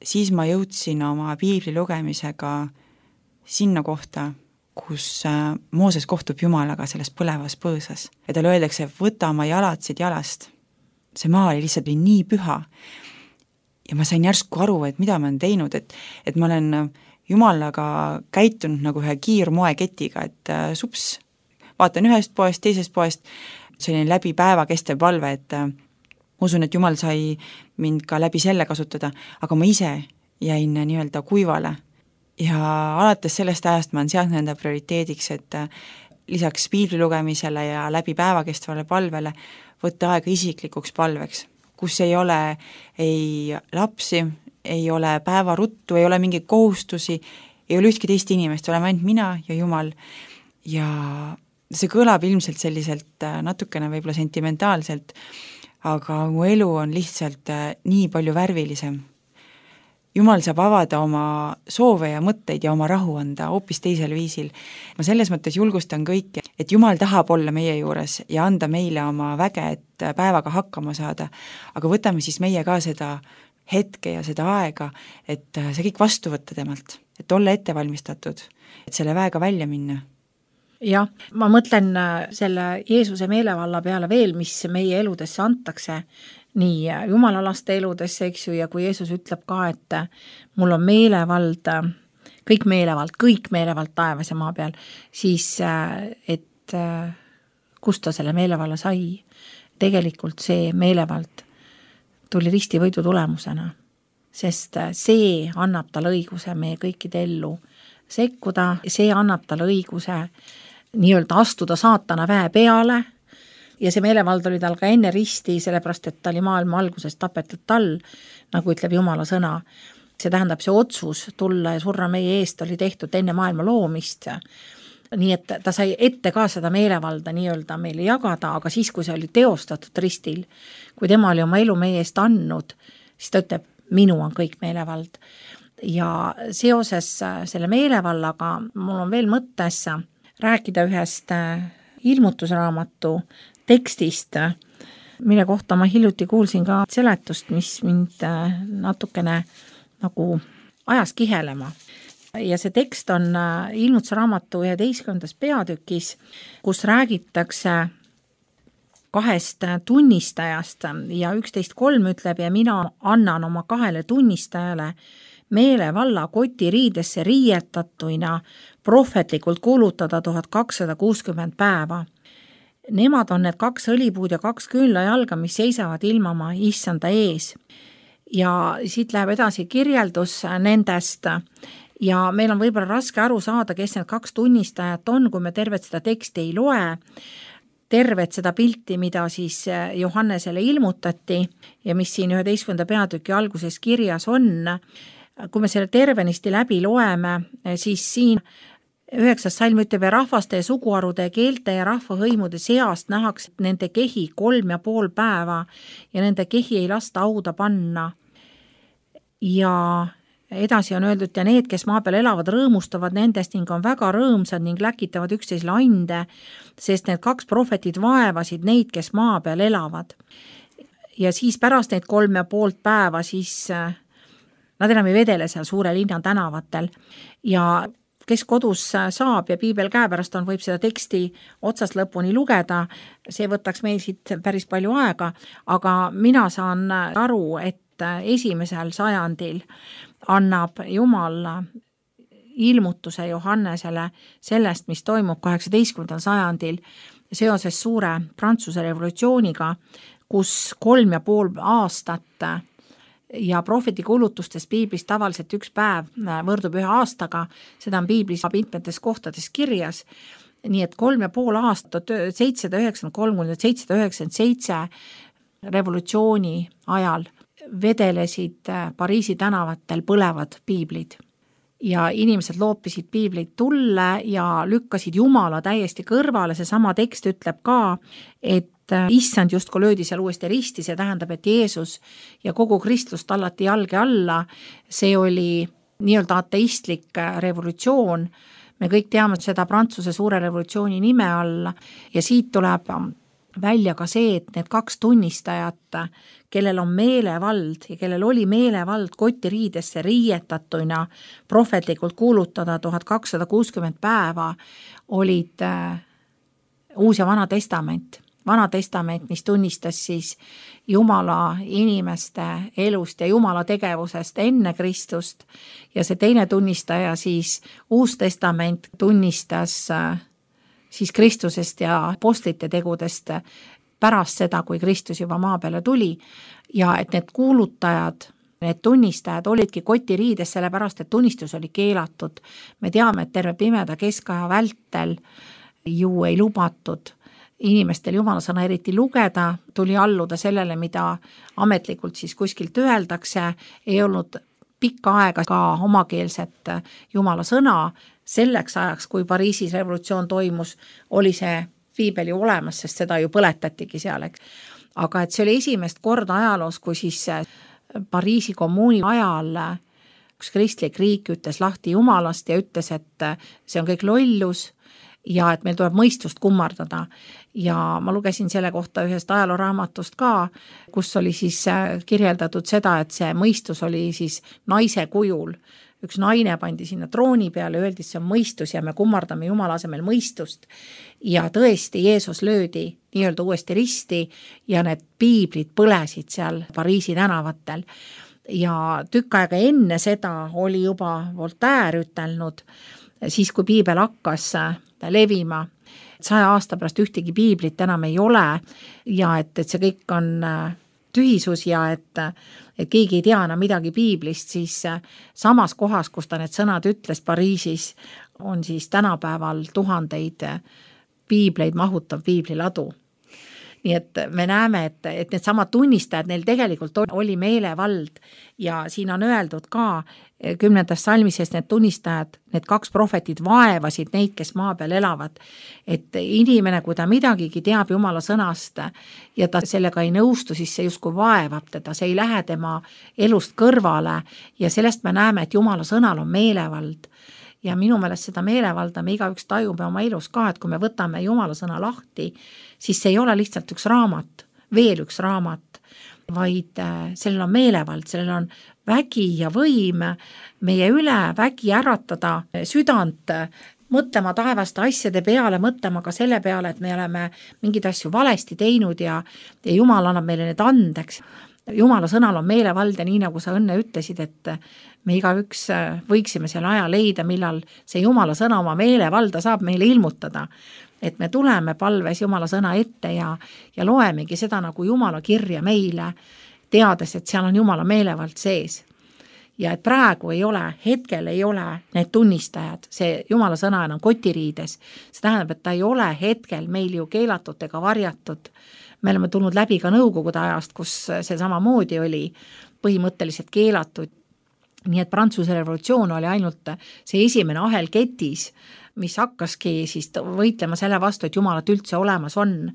siis ma jõudsin oma piibli lugemisega sinna kohta, kus Mooses kohtub Jumalaga selles põlevas põõsas. Ja talle öeldakse, võta oma jalad siit jalast. See maa oli lihtsalt nii püha. Ja ma sain järsku aru, et mida ma olen teinud, et ma olen Jumalaga käitunud nagu ühe kiirmoeketiga, et sups, vaatan ühest poest, teisest poest, see oli läbi päeva kestev palve, et usun, et Jumal sai mind ka läbi selle kasutada, aga ma ise jäin nii-öelda kuivale. Ja alates sellest ajast ma olen seadnud enda prioriteediks, et lisaks piibli lugemisele ja läbi päeva kestvale palvele võtta aega isiklikuks palveks, kus ei ole ei lapsi, ei ole päevaruttu, ei ole mingeid kohustusi, ei ole ühtki teist inimest, oleme ainult mina ja Jumal. Ja see kõlab ilmselt selliselt natukene võib-olla sentimentaalselt, aga mu elu on lihtsalt nii palju värvilisem. Jumal saab avada oma soove ja mõtteid ja oma rahu anda hoopis teisel viisil. Ma selles mõttes julgustan kõiki, et Jumal tahab olla meie juures ja anda meile oma väge, et päevaga hakkama saada, aga võtame siis meie ka seda hetke ja seda aega, et see kõik vastu võtta temalt, et olla ette valmistatud, et selle väega välja minna. Jah, ma mõtlen selle Jeesuse meelevalla peale veel, mis meie eludesse antakse, nii jumalalaste eludesse, eks ju, ja kui Jeesus ütleb ka, et mul on meelevald, kõik meelevald taevas ja maa peal, siis et kust ta selle meelevalla sai, tegelikult see meelevald tuli ristivõidu tulemusena, sest see annab talle õiguse meie kõikide ellu sekkuda, see annab talle õiguse nii-öelda astuda saatana väe peale ja see meelevald oli tal ka enne risti, sellepärast et ta oli maailma alguses tapetud tal, nagu ütleb Jumala sõna. See tähendab, see otsus tulla ja surra meie eest oli tehtud enne maailma loomist. Nii et ta sai ette ka seda meelevalda nii-öelda meile jagada, aga siis, kui see oli teostatud ristil, kui tema oli oma elu meie eest andnud, siis ta ütleb, minu on kõik meelevald. Ja seoses selle meelevallaga mul on veel mõttes rääkida ühest ilmutusraamatu tekstist, mille kohta ma hiljuti kuulsin ka seletust, mis mind natukene nagu ajas kihelema. Ja see tekst on ilmutusraamatu 11. peatükis, kus räägitakse kahest tunnistajast ja 11.3 ütleb ja mina annan oma 2 tunnistajale meelevalla kotiriidesse riietatuina prohvetlikult kuulutada 1260 päeva. Nemad on need 2 õlipuud ja 2 küünlajalga, mis seisavad ilmama issanda ees. Ja siit läheb edasi kirjeldus nendest ja meil on võib-olla raske aru saada, kes need 2 tunnistajat on, kui me tervet seda teksti ei loe, tervet seda pilti, mida siis Johannesele ilmutati ja mis siin 11. peatüki alguses kirjas on. Kui me selle tervenisti läbi loeme, siis siin 9. salm ütleb ja rahvaste ja suguharude, keelte ja rahvahõimude seast nähakse nende kehi 3,5 päeva ja nende kehi ei lasta hauda panna. Ja edasi on öeldud, ja need, kes maa peal elavad, rõõmustavad nendest ning on väga rõõmsad ning läkitavad üksteisele ande, sest need 2 prohvetit vaevasid neid, kes maa peal elavad. ja siis pärast neid 3,5 päeva siis nad enam ei vedele seal suure linna tänavatel ja kes kodus saab ja piibel käepärast on, võib seda teksti otsast lõpuni lugeda, see võtaks meil siit päris palju aega, aga mina saan aru, et esimesel sajandil annab Jumal ilmutuse Johannesele sellest, mis toimub 18. sajandil seoses suure Prantsuse revolutsiooniga, kus 3,5 aastat ja prohveti kuulutustes piiblis tavaliselt 1 päev võrdub 1 aastaga, seda on piiblis mitmetes kohtades kirjas, nii et 3,5 aastat 793–797 revolutsiooni ajal vedelesid Pariisi tänavatel põlevad piiblid ja inimesed loopisid piibleid tulle ja lükkasid Jumala täiesti kõrvale, seesama tekst ütleb ka, et issand justkui löödi seal uuesti risti, see tähendab, et Jeesus ja kogu kristlus tallati jalge alla, see oli nii-öelda ateistlik revolutsioon, me kõik teame seda Prantsuse suure revolutsiooni nime all ja siit tuleb välja ka see, et need 2 tunnistajat, kellel on meelevald ja kellel oli meelevald kotiriidesse riietatuna prohvetlikult kuulutada 1260 päeva, olid Uus ja Vana Testament. Vana Testament, mis tunnistas siis Jumala inimeste elust ja Jumala tegevusest enne Kristust ja see teine tunnistaja siis Uus Testament tunnistas siis Kristusest ja apostlite tegudest pärast seda, kui Kristus juba maa peale tuli ja et need kuulutajad, need tunnistajad olidki kotiriides, sellepärast et tunnistus oli keelatud. Me teame, et terve pimeda keskaja vältel ju ei lubatud inimestel Jumala sõna eriti lugeda, tuli alluda sellele, mida ametlikult siis kuskilt öeldakse, ei olnud pikka aega ka omakeelset Jumala sõna, selleks ajaks, kui Pariisis revolutsioon toimus, oli see piibel ju olemas, sest seda ju põletatigi seal, eks. Aga et see oli esimest korda ajaloos, kui siis Pariisi kommuuni ajal üks kristlik riik ütles lahti Jumalast ja ütles, et see on kõik lollus, ja et meil tuleb mõistust kummardada ja ma lugesin selle kohta ühest ajalooraamatust ka, kus oli siis kirjeldatud seda, et see mõistus oli siis naise kujul. Üks naine pandi sinna trooni peale, öeldi, et see on mõistus ja me kummardame Jumala asemel mõistust ja tõesti Jeesus löödi nii-öelda uuesti risti ja need piiblid põlesid seal Pariisi tänavatel ja tükk aega enne seda oli juba Voltaire ütelnud, siis kui piibel hakkas levima, 100 aasta pärast ühtegi piiblit enam ei ole ja et see kõik on tühisus ja et keegi ei tea enam midagi piiblist, siis samas kohas, kus ta need sõnad ütles Pariisis, on siis tänapäeval tuhandeid piibleid mahutav piibliladu. Nii et me näeme, et need samad tunnistajad, neil tegelikult oli meelevald ja siin on öeldud ka 10. salmises need tunnistajad, need 2 prohvetit vaevasid neid, kes maa peal elavad, et inimene, kui ta midagigi teab Jumala sõnast ja ta sellega ei nõustu, siis see justkui vaevab teda, see ei lähe tema elust kõrvale ja sellest me näeme, et Jumala sõnal on meelevald. Ja minu meelest seda meelevalda me igaüks tajume oma elus ka, et kui me võtame Jumala sõna lahti, siis see ei ole lihtsalt üks raamat, veel üks raamat, vaid sellel on meelevald, sellel on vägi ja võim meie üle, vägi äratada südant, mõtlema taevaste asjade peale, mõtlema ka selle peale, et me oleme mingeid asju valesti teinud ja Jumal annab meile need andeks. Jumala sõnal on meelevald ja nii nagu sa õnne ütlesid, et me igaüks võiksime selle aja leida, millal see Jumala sõna oma meelevalda saab meile ilmutada. Et me tuleme palves Jumala sõna ette ja loemegi seda nagu Jumala kirja meile, teades, et seal on Jumala meelevald sees. Ja et praegu ei ole, hetkel ei ole need tunnistajad, see Jumala sõna enam kotiriides. See tähendab, et ta ei ole hetkel meil ju keelatud ega varjatud. Me oleme tulnud läbi ka nõukogude ajast, kus see samamoodi oli põhimõtteliselt keelatud. Nii et Prantsuse revolutsioon oli ainult see esimene ahel ketis, mis hakkaski siis võitlema selle vastu, et Jumalat üldse olemas on.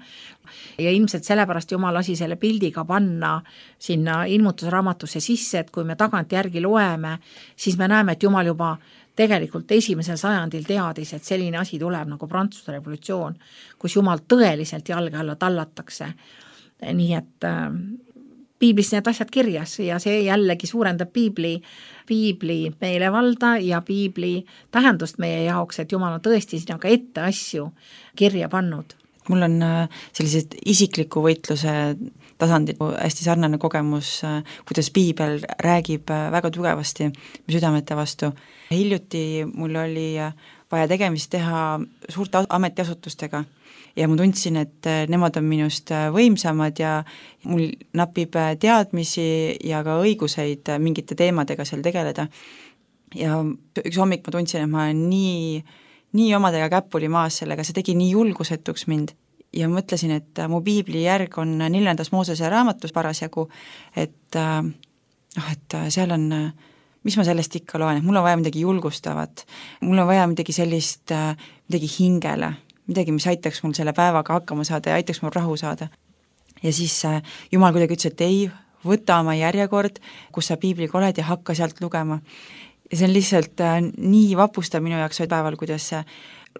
Ja ilmselt sellepärast Jumal lasi selle pildiga panna sinna ilmutusraamatusse sisse, et kui me tagant järgi loeme, siis me näeme, et Jumal juba tegelikult 1. sajandil teadis, et selline asi tuleb nagu Prantsuse revolutsioon, kus Jumal tõeliselt jalge alla tallatakse. Nii et piiblis need asjad kirjas ja see jällegi suurendab piibli meelevalda ja piibli tähendust meie jaoks, et Jumal on tõesti sinna ka ette asju kirja pannud. Mul on sellised isikliku võitluse tasandil hästi sarnane kogemus, kuidas piibel räägib väga tugevasti südamete vastu. Hiljuti mul oli vaja tegemist teha suurte ametiasutustega ja ma tundsin, et nemad on minust võimsamad ja mul napib teadmisi ja ka õiguseid mingite teemadega seal tegeleda. Ja üks hommik ma tundsin, et ma olen nii omadega käpuli maas sellega, see tegi nii julgusetuks mind ja mõtlesin, et mu piibli järg on 4. Moosese raamatus parasjagu, et seal on, mis ma sellest ikka loen, et mul on vaja midagi julgustavat, mul on vaja midagi sellist, midagi hingele, midagi, mis aitaks mul selle päevaga hakkama saada ja aitaks mul rahu saada. Ja siis Jumal kuidagi ütles, et ei, võta oma järjekord, kus sa piibliga oled ja hakka sealt lugema. Ja see on lihtsalt nii vapustav minu jaoks päeval, kuidas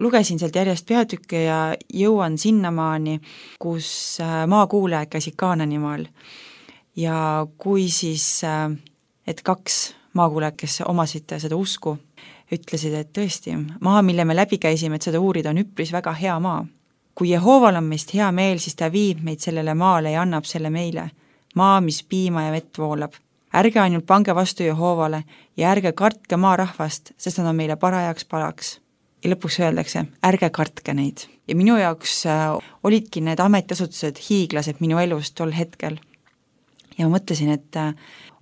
lugesin sealt järjest peatükke ja jõuan sinnamaani, kus maakuulajad käisid Kaananimaal. Ja kui siis, et 2 maakuulajad, kes omasid seda usku, ütlesid, et tõesti, maa, mille me läbi käisime, et seda uurida, on üpris väga hea maa. Kui Jehooval on meist hea meel, siis ta viib meid sellele maale ja annab selle meile. Maa, mis piima ja vett voolab. Ärge ainult pange vastu Jehoovale ja ärge kartke maarahvast, sest nad on meile parajaks palaks. Ja lõpuks öeldakse, ärge kartke neid. Ja minu jaoks olidki need ametiasutused hiiglased minu elus tol hetkel. Ja ma mõtlesin, et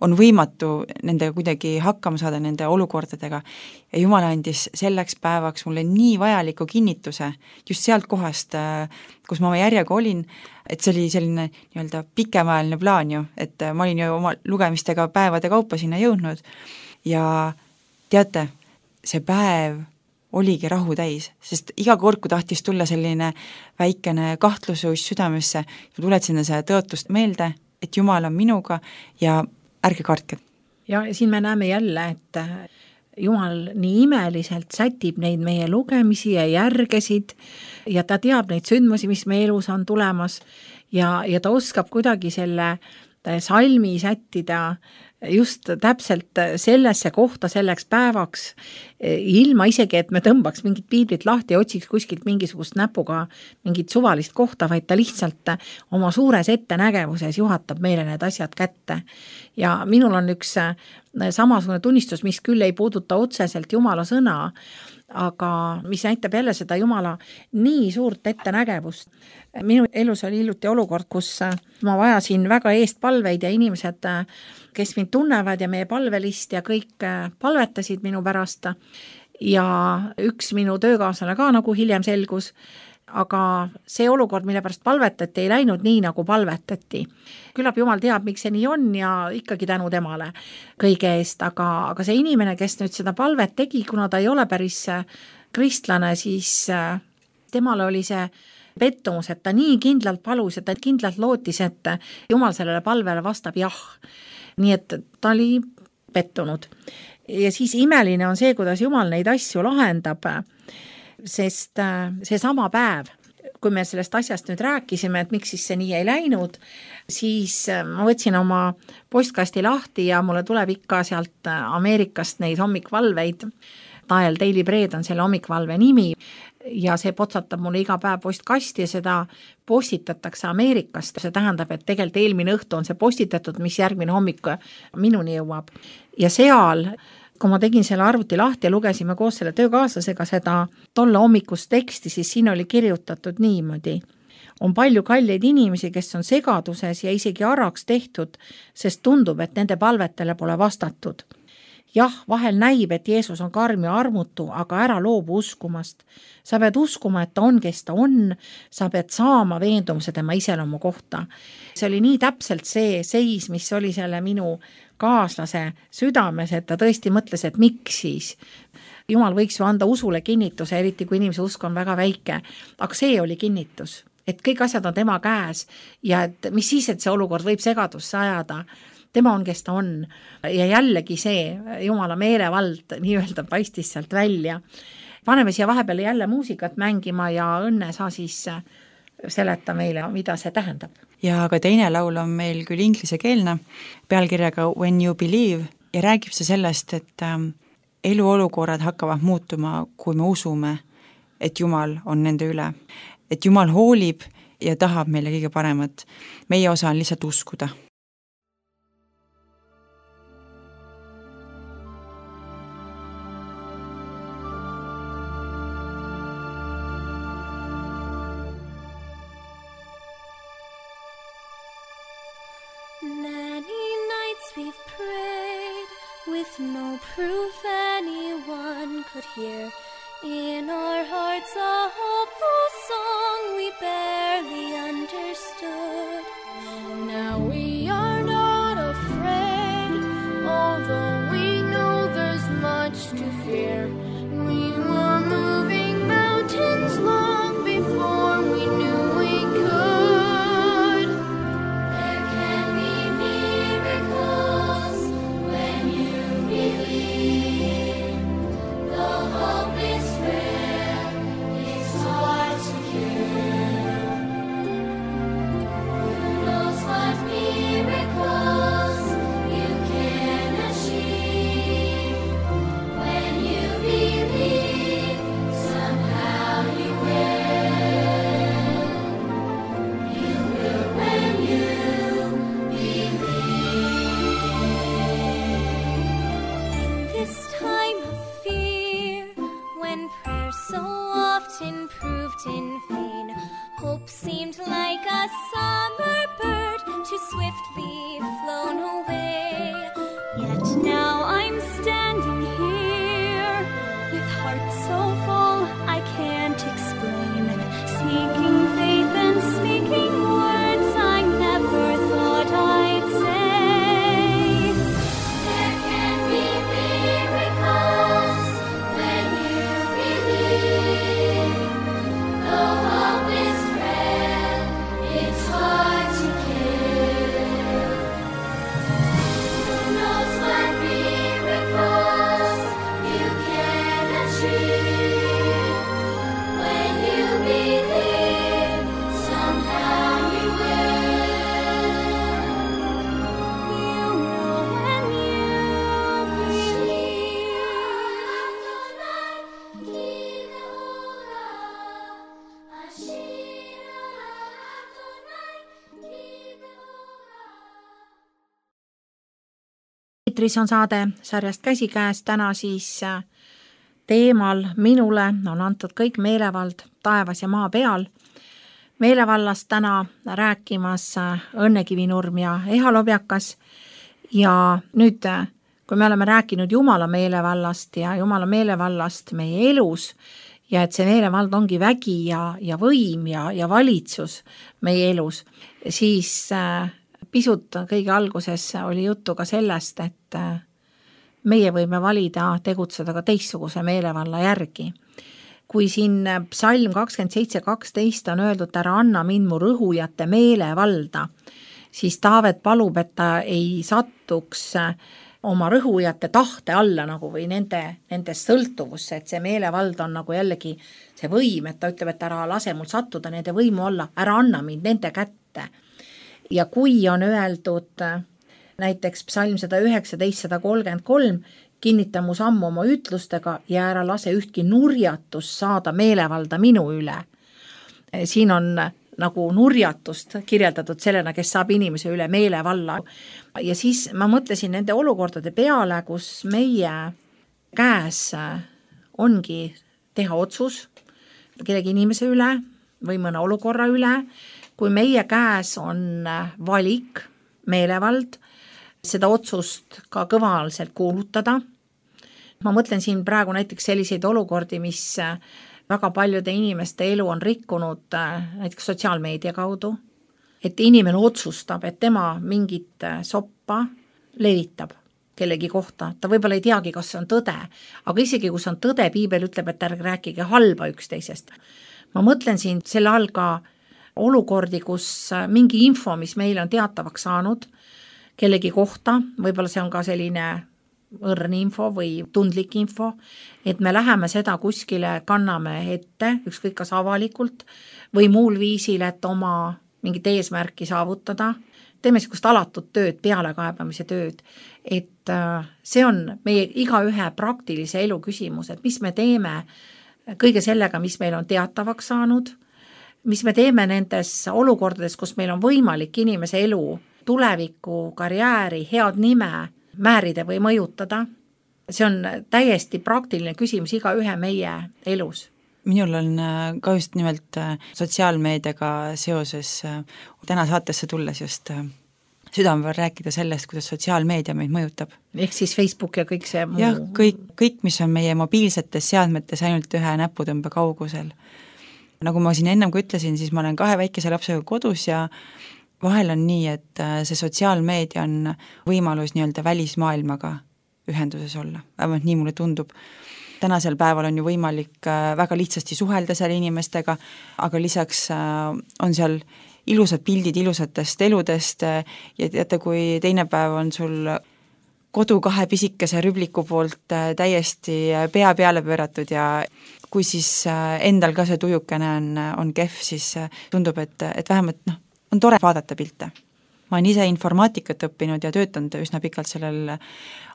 on võimatu nendega kuidagi hakkama saada nende olukordadega ja Jumal andis selleks päevaks mulle nii vajaliku kinnituse just sealt kohast, kus ma oma järjega olin, et see oli selline nii-öelda pikemaajaline plaan ju, et ma olin ju oma lugemistega päevade kaupa sinna jõudnud ja teate, see päev oligi rahu täis, sest iga kord, kui tahtis tulla selline väikene kahtlusus südamesse, tuletasin seda tõotust meelde, et Jumal on minuga ja ärge kartke. Ja siin me näeme jälle, et Jumal nii imeliselt sätib neid meie lugemisi ja järgesid ja ta teab neid sündmusi, mis meie elus on tulemas ja ta oskab kuidagi selle salmi sättida just täpselt sellesse kohta selleks päevaks, ilma isegi, et me tõmbaks mingit piiblit lahti ja otsiks kuskilt mingisugust näpuga mingit suvalist kohta, vaid ta lihtsalt oma suures ettenägevuses juhatab meile need asjad kätte. Ja minul on üks samasugune tunnistus, mis küll ei puuduta otseselt Jumala sõna, aga mis näitab jälle seda Jumala nii suurt ettenägevust. Minu elus oli hiljuti olukord, kus ma vajasin väga eestpalveid ja inimesed, kes mind tunnevad ja meie palvelist ja kõik palvetasid minu pärast ja üks minu töökaaslane ka nagu hiljem selgus, aga see olukord, mille pärast palvetati, ei läinud nii, nagu palvetati. Küllap Jumal teab, miks see nii on ja ikkagi tänu temale kõige eest, aga see inimene, kes nüüd seda palvet tegi, kuna ta ei ole päris kristlane, siis temale oli see pettumus, et ta nii kindlalt palus ja ta kindlalt lootis, et Jumal sellele palvele vastab jah. Nii et ta oli pettunud. Ja siis imeline on see, kuidas Jumal neid asju lahendab, sest see sama päev, kui me sellest asjast nüüd rääkisime, et miks siis see nii ei läinud, siis ma võtsin oma postkasti lahti ja mulle tuleb ikka sealt Ameerikast neid hommikvalveid. Dial Daily Bread on selle hommikvalve nimi ja see potsatab mulle iga päev postkasti ja seda postitatakse Ameerikast. See tähendab, et tegelikult eelmine õhtu on see postitatud, mis järgmine hommik minuni jõuab. Ja seal, kui ma tegin selle arvuti lahti ja lugesime koos selle töökaaslasega seda tolle hommikust teksti, siis siin oli kirjutatud niimoodi. On palju kalleid inimesi, kes on segaduses ja isegi araks tehtud, sest tundub, et nende palvetele pole vastatud. Jah, vahel näib, et Jeesus on karm ja armutu, aga ära loobu uskumast. Sa pead uskuma, et ta on, kes ta on, sa pead saama veendumuse tema iseloomu kohta. See oli nii täpselt see seis, mis oli selle minu kaaslase südames, et ta tõesti mõtles, et miks siis. Jumal võiks ju anda usule kinnituse, eriti kui inimese usk on väga väike, aga see oli kinnitus, et kõik asjad on tema käes ja et mis siis, et see olukord võib segadusse ajada. Tema on, kes ta on ja jällegi see Jumala meelevald nii-öelda paistis sealt välja. Paneme siia vahepeal jälle muusikat mängima ja Õnne sa siis seleta meile, mida see tähendab. ja ka teine laul on meil küll inglisekeelne, pealkirjaga When you believe ja räägib see sellest, et eluolukorrad hakkavad muutuma, kui me usume, et Jumal on nende üle. Et Jumal hoolib ja tahab meile kõige paremat. Meie osa on lihtsalt uskuda. Many nights we've prayed with no proof anyone could hear. In our hearts a hopeful song we barely understood. Now we are not afraid, although we know there's much to fear. We were moving mountains long before we knew we could. There can be miracles when you believe. The hope is frail, it's hard to cure. Who knows what miracles you can achieve? When you believe, somehow you will. You will when you believe. In this time of fear, when prayer so often proved in vain, hope seemed like a summer bird too swiftly flown away. Yet now I'm standing here with heart so full I can't explain, speaking faith and speaking words I never thought I'd say. There can be miracles when you believe. Though hope is frail, it's hard to kill. Who knows what miracles you can achieve? When you believe, somehow you will. You will when you believe. Eetris on saade sarjast Käsikäes, täna siis teemal minule on antud kõik meelevald taevas ja maa peal. Meelevallast täna rääkimas Õnne Kivinurm ja Eha Lobjakas ja nüüd, kui me oleme rääkinud Jumala meelevallast ja Jumala meelevallast meie elus ja et see meelevald ongi vägi ja võim ja valitsus meie elus, siis pisut kõige alguses oli juttu ka sellest, et meie võime valida tegutseda ka teistsuguse meelevalla järgi. Kui siin psalm 27:12 on öeldud, ära anna mind mu rõhujate meelevalda, siis Taavet palub, et ta ei satuks oma rõhujate tahte alla nagu või nende sõltuvusse, et see meelevald on nagu jällegi see võim, et ta ütleb, et ära lase mul sattuda nende võimu olla, ära anna mind nende kätte. Ja kui on öeldud näiteks psalm 119:133, kinnita mu sammu oma ütlustega ja ära lase ühtki nurjatust saada meelevalda minu üle. Siin on nagu nurjatust kirjeldatud sellena, kes saab inimese üle meelevalla. Ja siis ma mõtlesin nende olukordade peale, kus meie käes ongi teha otsus kellegi inimese üle või mõne olukorra üle, kui meie käes on valik, meelevald, seda otsust ka kõvalselt kuulutada. Ma mõtlen siin praegu näiteks selliseid olukordi, mis väga paljude inimeste elu on rikkunud näiteks sotsiaalmeedia kaudu, et inimene otsustab, et tema mingit soppa levitab kellegi kohta. Ta võib-olla ei teagi, kas see on tõde, aga isegi kui see on tõde, piibel ütleb, et ärge rääkige halba üksteisest. Ma mõtlen siin selle all ka olukordi, kus mingi info, mis meile on teatavaks saanud kellegi kohta, võib-olla see on ka selline õrn info või tundlik info, et me läheme seda kuskile, kanname ette, ükskõik kas avalikult või muul viisil, et oma mingit eesmärki saavutada, teeme niisugust alatut tööd, pealekaebamise tööd, et see on meie igaühe praktilise elu küsimus, et mis me teeme kõige sellega, mis meil on teatavaks saanud, mis me teeme nendes olukordades, kus meil on võimalik inimese elu, tuleviku, karjääri, head nime määrida või mõjutada. See on täiesti praktiline küsimus igaühe meie elus. Minul on ka just nimelt sotsiaalmeediaga seoses täna saatesse tulles just südame peal rääkida sellest, kuidas sotsiaalmeedia meid mõjutab. Ehk siis Facebook ja kõik see muu. Jah, kõik, mis on meie mobiilsetes seadmetes ainult ühe näputõmbe kaugusel. Nagu ma siin ennem kui ütlesin, siis ma olen 2 väikese lapsega kodus ja vahel on nii, et see sotsiaalmeedia on võimalus nii-öelda välismaailmaga ühenduses olla. Vähemalt nii mulle tundub. Tänasel päeval on ju võimalik väga lihtsasti suhelda seal inimestega, aga lisaks on seal ilusad pildid ilusatest eludest ja teate, kui teine päev on sul kodu 2 pisikese rübliku poolt täiesti pea peale pööratud ja kui siis endal ka see tujukene on kehv, siis tundub, et vähemalt on tore vaadata pilte. Ma olen ise informaatikat õppinud ja töötanud üsna pikalt sellel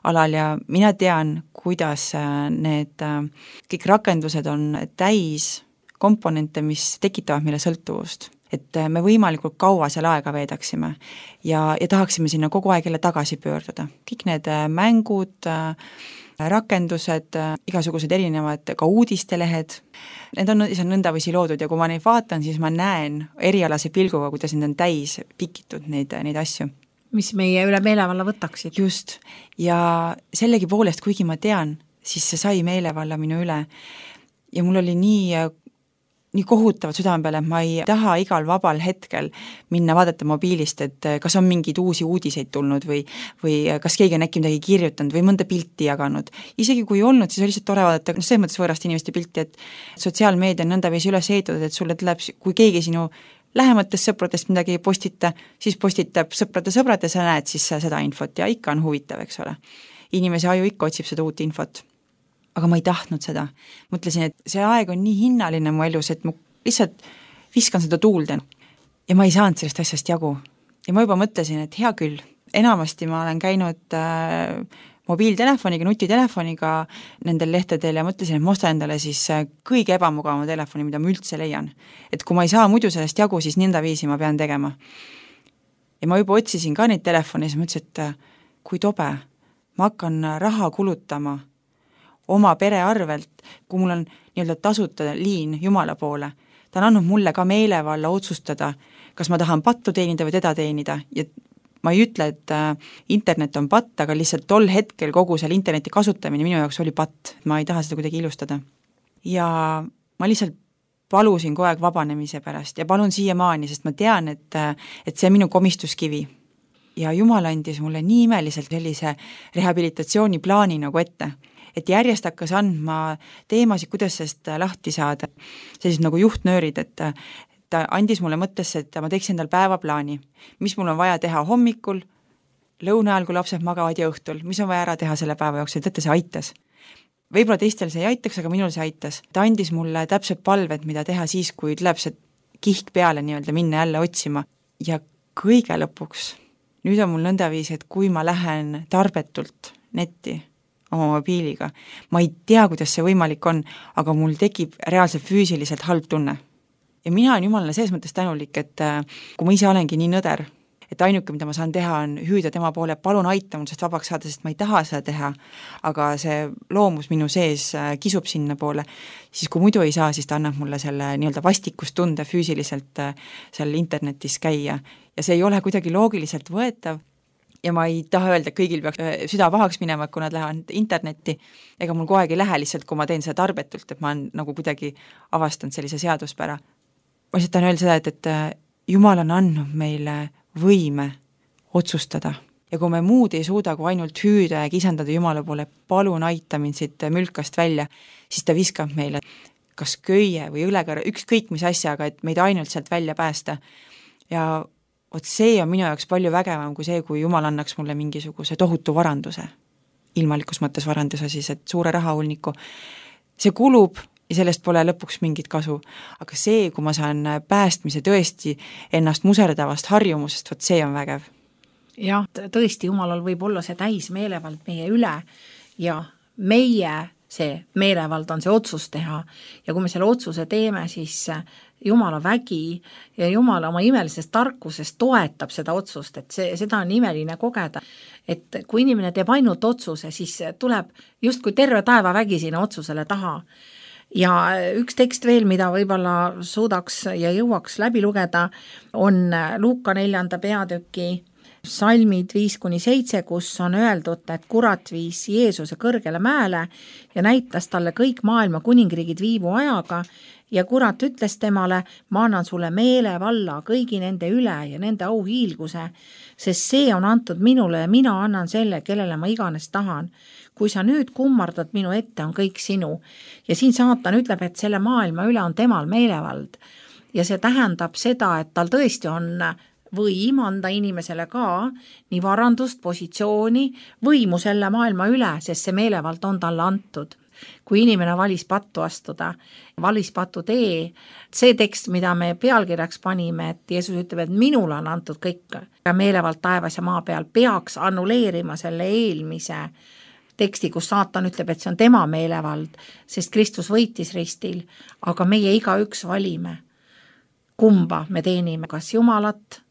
alal ja mina tean, kuidas need kõik rakendused on täis komponente, mis tekitavad meile sõltuvust. Et me võimalikult kaua seal aega veedaksime ja tahaksime sinna kogu aeg jälle tagasi pöörduda. Kõik need mängud, rakendused, igasugused erinevad ka uudistelehed, need on nõndavisi loodud ja kui ma neid vaatan, siis ma näen erialase pilguga, kuidas need on täis pikitud neid asju. Mis meie üle meelevalla võtaksid. Just, ja sellegi poolest, kuigi ma tean, siis see sai meelevalla minu üle ja mul oli nii kohutavad südame peale, et ma ei taha igal vabal hetkel minna vaadata mobiilist, et kas on mingeid uusi uudiseid tulnud või kas keegi on äkki midagi kirjutanud või mõnda pilti jaganud. Isegi kui olnud, siis on lihtsalt tore vaadata, selles mõttes võõrast inimeste pilti, et sotsiaalmeedia on nõndaviisi üles ehitatud, et sulle tuleb, kui keegi sinu lähematest sõpradest midagi ei postita, siis postitab sõprade ja sa näed siis seda infot ja ikka on huvitav, eks ole. Inimese aju ikka otsib seda uut infot. Aga ma ei tahtnud seda. Mõtlesin, et see aeg on nii hinnaline mu elus, et ma lihtsalt viskan seda tuulde. Ja ma ei saanud sellest asjast jagu. Ja ma juba mõtlesin, et hea küll, enamasti ma olen käinud mobiiltelefoniga, nutitelefoniga nendel lehtedel ja mõtlesin, et ma ostan endale siis kõige ebamugavama telefoni, mida ma üldse leian. Et kui ma ei saa muidu sellest jagu, siis nõnda viisi ma pean tegema. Ja ma juba otsisin ka neid telefoni ja mõtlesin, et kui tobe, ma hakkan raha kulutama oma pere arvelt, kui mul on nii-öelda tasuta liin Jumala poole. Ta on andnud mulle ka meelevalla otsustada, kas ma tahan pattu teenida või teda teenida ja ma ei ütle, et internet on patt, aga lihtsalt tol hetkel kogu seal interneti kasutamine minu jaoks oli patt, ma ei taha seda kuidagi ilustada. Ja ma lihtsalt palusin kogu aeg vabanemise pärast ja palun siiamaani, sest ma tean, et see on minu komistuskivi. Ja Jumal andis mulle nii imeliselt sellise rehabilitatsiooniplaani nagu ette, et järjest hakkas andma teemasid, kuidas sellest lahti saada, sellised nagu juhtnöörid, et ta andis mulle mõttesse, et ma teeksin endal päevaplaani, mis mul on vaja teha hommikul, lõuna ajal, kui lapsed magavad ja õhtul, mis on vaja ära teha selle päeva jooksul, teate, see aitas. Võib-olla teistel see ei aitaks, aga minul see aitas. Ta andis mulle täpselt palved, mida teha siis, kui tuleb see kihk peale nii-öelda minna jälle otsima. Ja kõige lõpuks, nüüd on mul nõndaviis, et kui ma lähen tarbetult netti oma mobiiliga, ma ei tea, kuidas see võimalik on, aga mul tekib reaalselt füüsiliselt halb tunne. Ja mina olen Jumalale selles mõttes tänulik, et kui ma ise olengi nii nõder, et ainuke, mida ma saan teha, on hüüda tema poole, palun aita mul sest vabaks saada, sest ma ei taha seda teha, aga see loomus minu sees kisub sinna poole, siis kui muidu ei saa, siis ta annab mulle selle nii-öelda vastikustunde füüsiliselt seal internetis käia ja see ei ole kuidagi loogiliselt võetav ja ma ei taha öelda, et kõigil peaks süda pahaks minema, kui nad lähevad internetti, ega mul kogu aeg ei lähe lihtsalt, kui ma teen seda tarbetult, et ma olen nagu kuidagi avastanud sellise seaduspära. Ma lihtsalt tahan öelda seda, et Jumal on andnud meile võime otsustada ja kui me muud ei suuda, kui ainult hüüda ja kisendada Jumala poole, palun aita mind siit mülkast välja, siis ta viskab meile kas köie või õlekarra, ükskõik mis asjaga, et meid ainult sealt välja päästa ja see on minu jaoks palju vägevam kui see, kui Jumal annaks mulle mingisuguse tohutu varanduse, ilmalikus mõttes varanduse siis, et suure rahahulniku. See kulub ja sellest pole lõpuks mingit kasu. Aga see, kui ma saan päästmise tõesti ennast muserdavast harjumusest, vot see on vägev. jah, tõesti, Jumalal võib olla see täismeelevald meie üle ja meie see meelevald on see otsus teha ja kui me selle otsuse teeme, siis Jumala vägi ja Jumal oma imelisest tarkusest toetab seda otsust, et seda on imeline kogeda, et kui inimene teeb ainult otsuse, siis tuleb justkui terve taevavägi sinna otsusele taha. Ja üks tekst veel, mida võib-olla suudaks ja jõuaks läbi lugeda, on Luuka 4. peatüki salmid 5-7, kus on öeldud, et kurat viis Jeesuse kõrgele mäele ja näitas talle kõik maailma kuningriigid viivu ajaga ja kurat ütles temale, ma annan sulle meelevalla kõigi nende üle ja nende auhiilguse, sest see on antud minule ja mina annan selle, kellele ma iganes tahan. Kui sa nüüd kummardad minu ette, on kõik sinu. Ja siin saatan ütleb, et selle maailma üle on temal meelevald ja see tähendab seda, et tal tõesti on võim anda inimesele ka nii varandust, positsiooni, võimu selle maailma üle, sest see meelevald on talle antud. Kui inimene valis pattu astuda, valis patu tee, see tekst, mida me pealkirjaks panime, et Jeesus ütleb, et minule on antud kõik ja meelevald taevas ja maa peal, peaks annuleerima selle eelmise teksti, kus saatan ütleb, et see on tema meelevald, sest Kristus võitis ristil, aga meie igaüks valime, kumba me teenime, kas Jumalat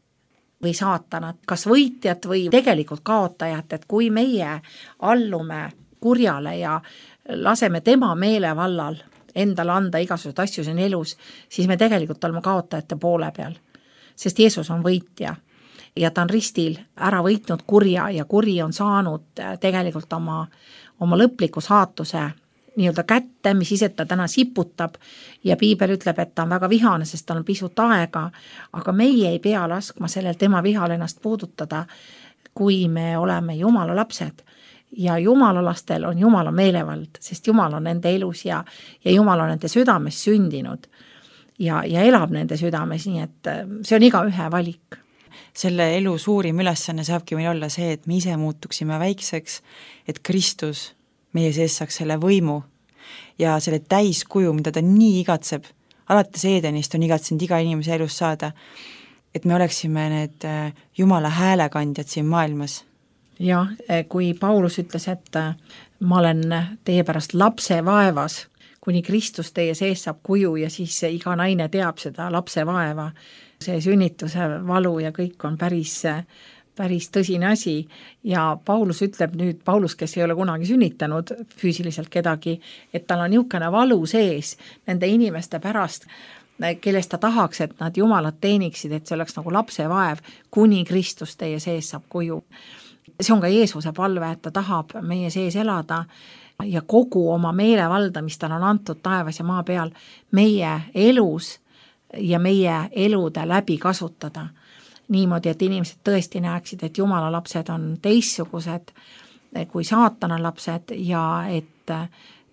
või saatanat, kas võitjat või tegelikult kaotajat, et kui meie allume kurjale ja laseme tema meelevallal endale anda igasugused asju siin elus, siis me tegelikult oleme kaotajate poole peal, sest Jeesus on võitja ja ta on ristil ära võitnud kurja ja kuri on saanud tegelikult oma lõpliku saatuse nii-öelda kätte, mis ise ta täna siputab ja piibel ütleb, et ta on väga vihane, sest tal on pisut aega, aga meie ei pea laskma sellel tema vihal ennast puudutada, kui me oleme Jumala lapsed ja Jumala lastel on Jumala meelevald, sest Jumal on nende elus ja Jumal on nende südames sündinud ja elab nende südames, nii et see on igaühe valik. Selle elu suurim ülesanne saabki meil olla see, et me ise muutuksime väikseks, et Kristus meie sees saaks selle võimu ja selle täiskuju, mida ta nii igatseb, alates Edenist on igatsenud iga inimese elus saada, et me oleksime need Jumala häälekandjad siin maailmas. Jah, kui Paulus ütles, et ma olen teie pärast lapse vaevas, kuni Kristus teie sees saab kuju ja siis iga naine teab seda lapse vaeva, see sünnituse valu ja kõik on päris tõsine asi ja Paulus ütleb nüüd, Paulus, kes ei ole kunagi sünnitanud füüsiliselt kedagi, et tal on niisugune valu sees nende inimeste pärast, kellest ta tahaks, et nad Jumalat teeniksid, et see oleks nagu lapse vaev, kuni Kristus teie sees saab kuju. See on ka Jeesuse palve, et ta tahab meie sees elada ja kogu oma meelevalda, mis tal on antud taevas ja maa peal, meie elus ja meie elude läbi kasutada. Niimoodi, et inimesed tõesti näeksid, et Jumala lapsed on teistsugused kui saatana lapsed ja et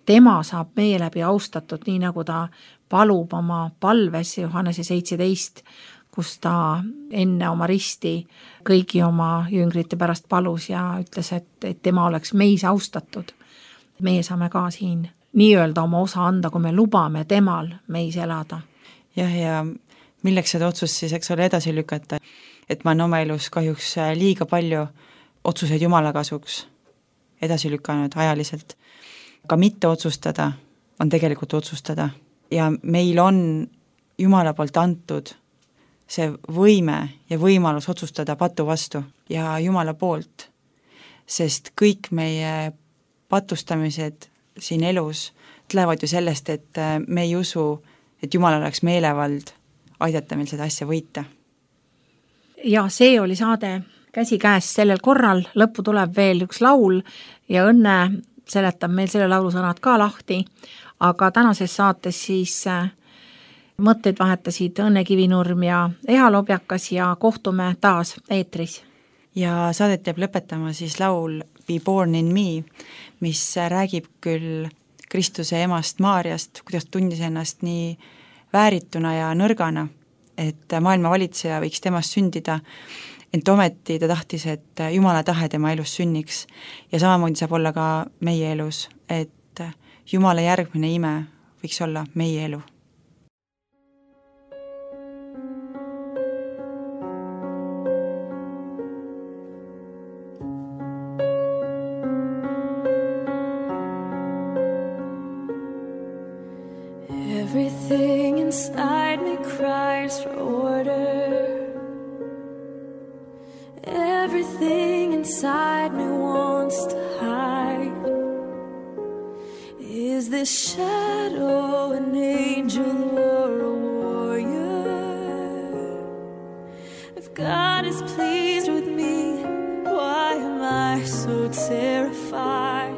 tema saab meie läbi austatud, nii nagu ta palub oma palves Johannese 17, kus ta enne oma risti kõigi oma jüngrite pärast palus ja ütles, et tema oleks meis austatud. Meie saame ka siin nii-öelda oma osa anda, kui me lubame temal meis elada. Jah, ja milleks seda otsust siis, eks ole, edasi lükata, et ma olen oma elus kahjuks liiga palju otsuseid Jumala kasuks edasi lükanud ajaliselt. Ka mitte otsustada on tegelikult otsustada ja meil on Jumala poolt antud see võime ja võimalus otsustada patu vastu ja Jumala poolt, sest kõik meie patustamised siin elus tulevad ju sellest, et me ei usu, et Jumal oleks meelevald aidata meil seda asja võita. Ja see oli saade Käsikäes sellel korral, lõppu tuleb veel üks laul ja Õnne seletab meil selle laulu sõnad ka lahti, aga tänases saates siis mõtteid vahetasid Õnne Kivinurm ja Eha Lobjakas ja kohtume taas eetris. Ja saadet jääb lõpetama siis laul Be Born in Me, mis räägib küll Kristuse emast Maarjast, kuidas tundis ennast nii väärituna ja nõrgana, et maailma valitseja võiks temast sündida, ent ometi ta tahtis, et Jumala tahe tema elus sünniks ja samamoodi saab olla ka meie elus, et Jumala järgmine ime võiks olla meie elu. Everything inside me cries for order. Everything inside me wants to hide. Is this shadow an angel or a warrior? If God is pleased with me, why am I so terrified?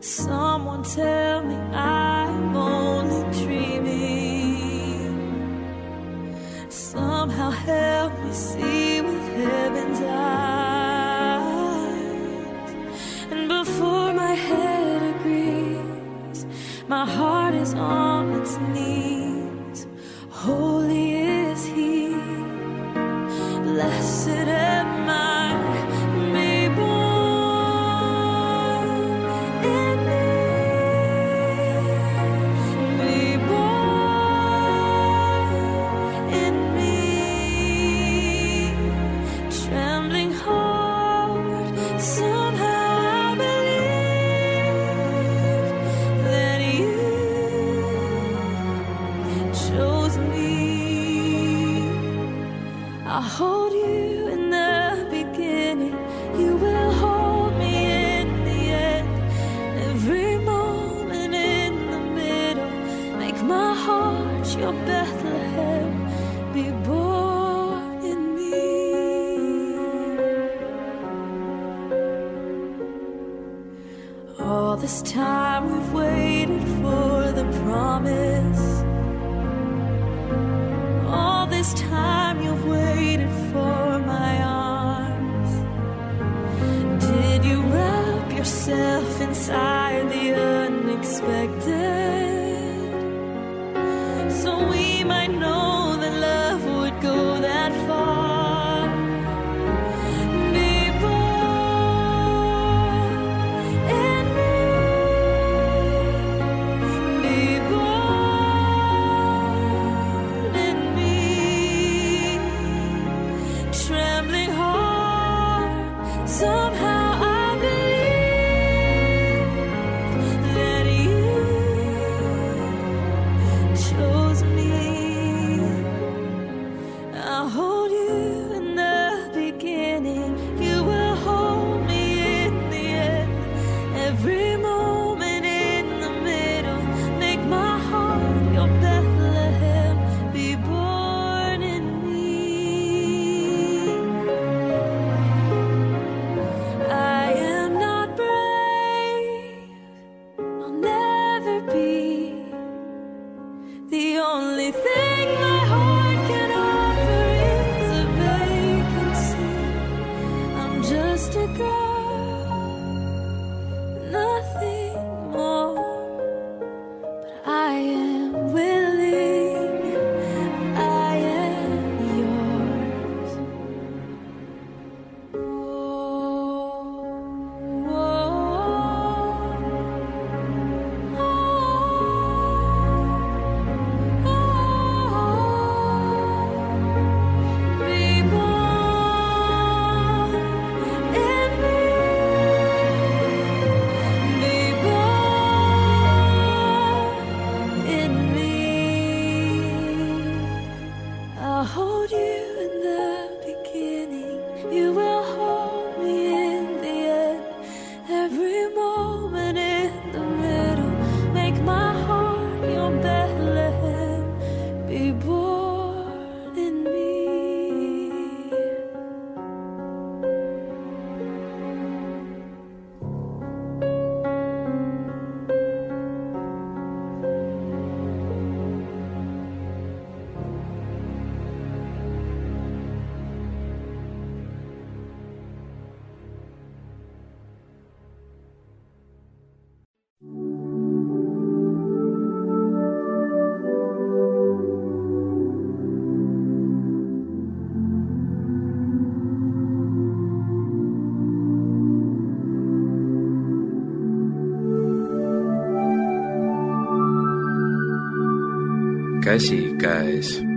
Someone tell me I'm only dreaming. Somehow help me see with heaven's eyes. And before my head agrees, my heart is on its knees. Holy is He, blessed am I. I'll hold you in the beginning. You will hold me in the end. Every moment in the middle. Make my heart your Bethlehem. Be born in me. All this time we've waited for the promise. All this time you've waited for my arms. Did you wrap yourself inside the unexpected? So we might know that love would go that far. Be born in me. Be born in me. Trembling heart, somehow I believe that you chose me. I'll hold you in the beginning. You will hold me in the end. Every moment in the middle. Make my heart your Bethlehem. Be born in me. I am not brave. I'll never be. The only thing my heart can offer is a vacancy. I'm just a girl, nothing more. But I am willing, I am yours. Be born in me. käsikäes.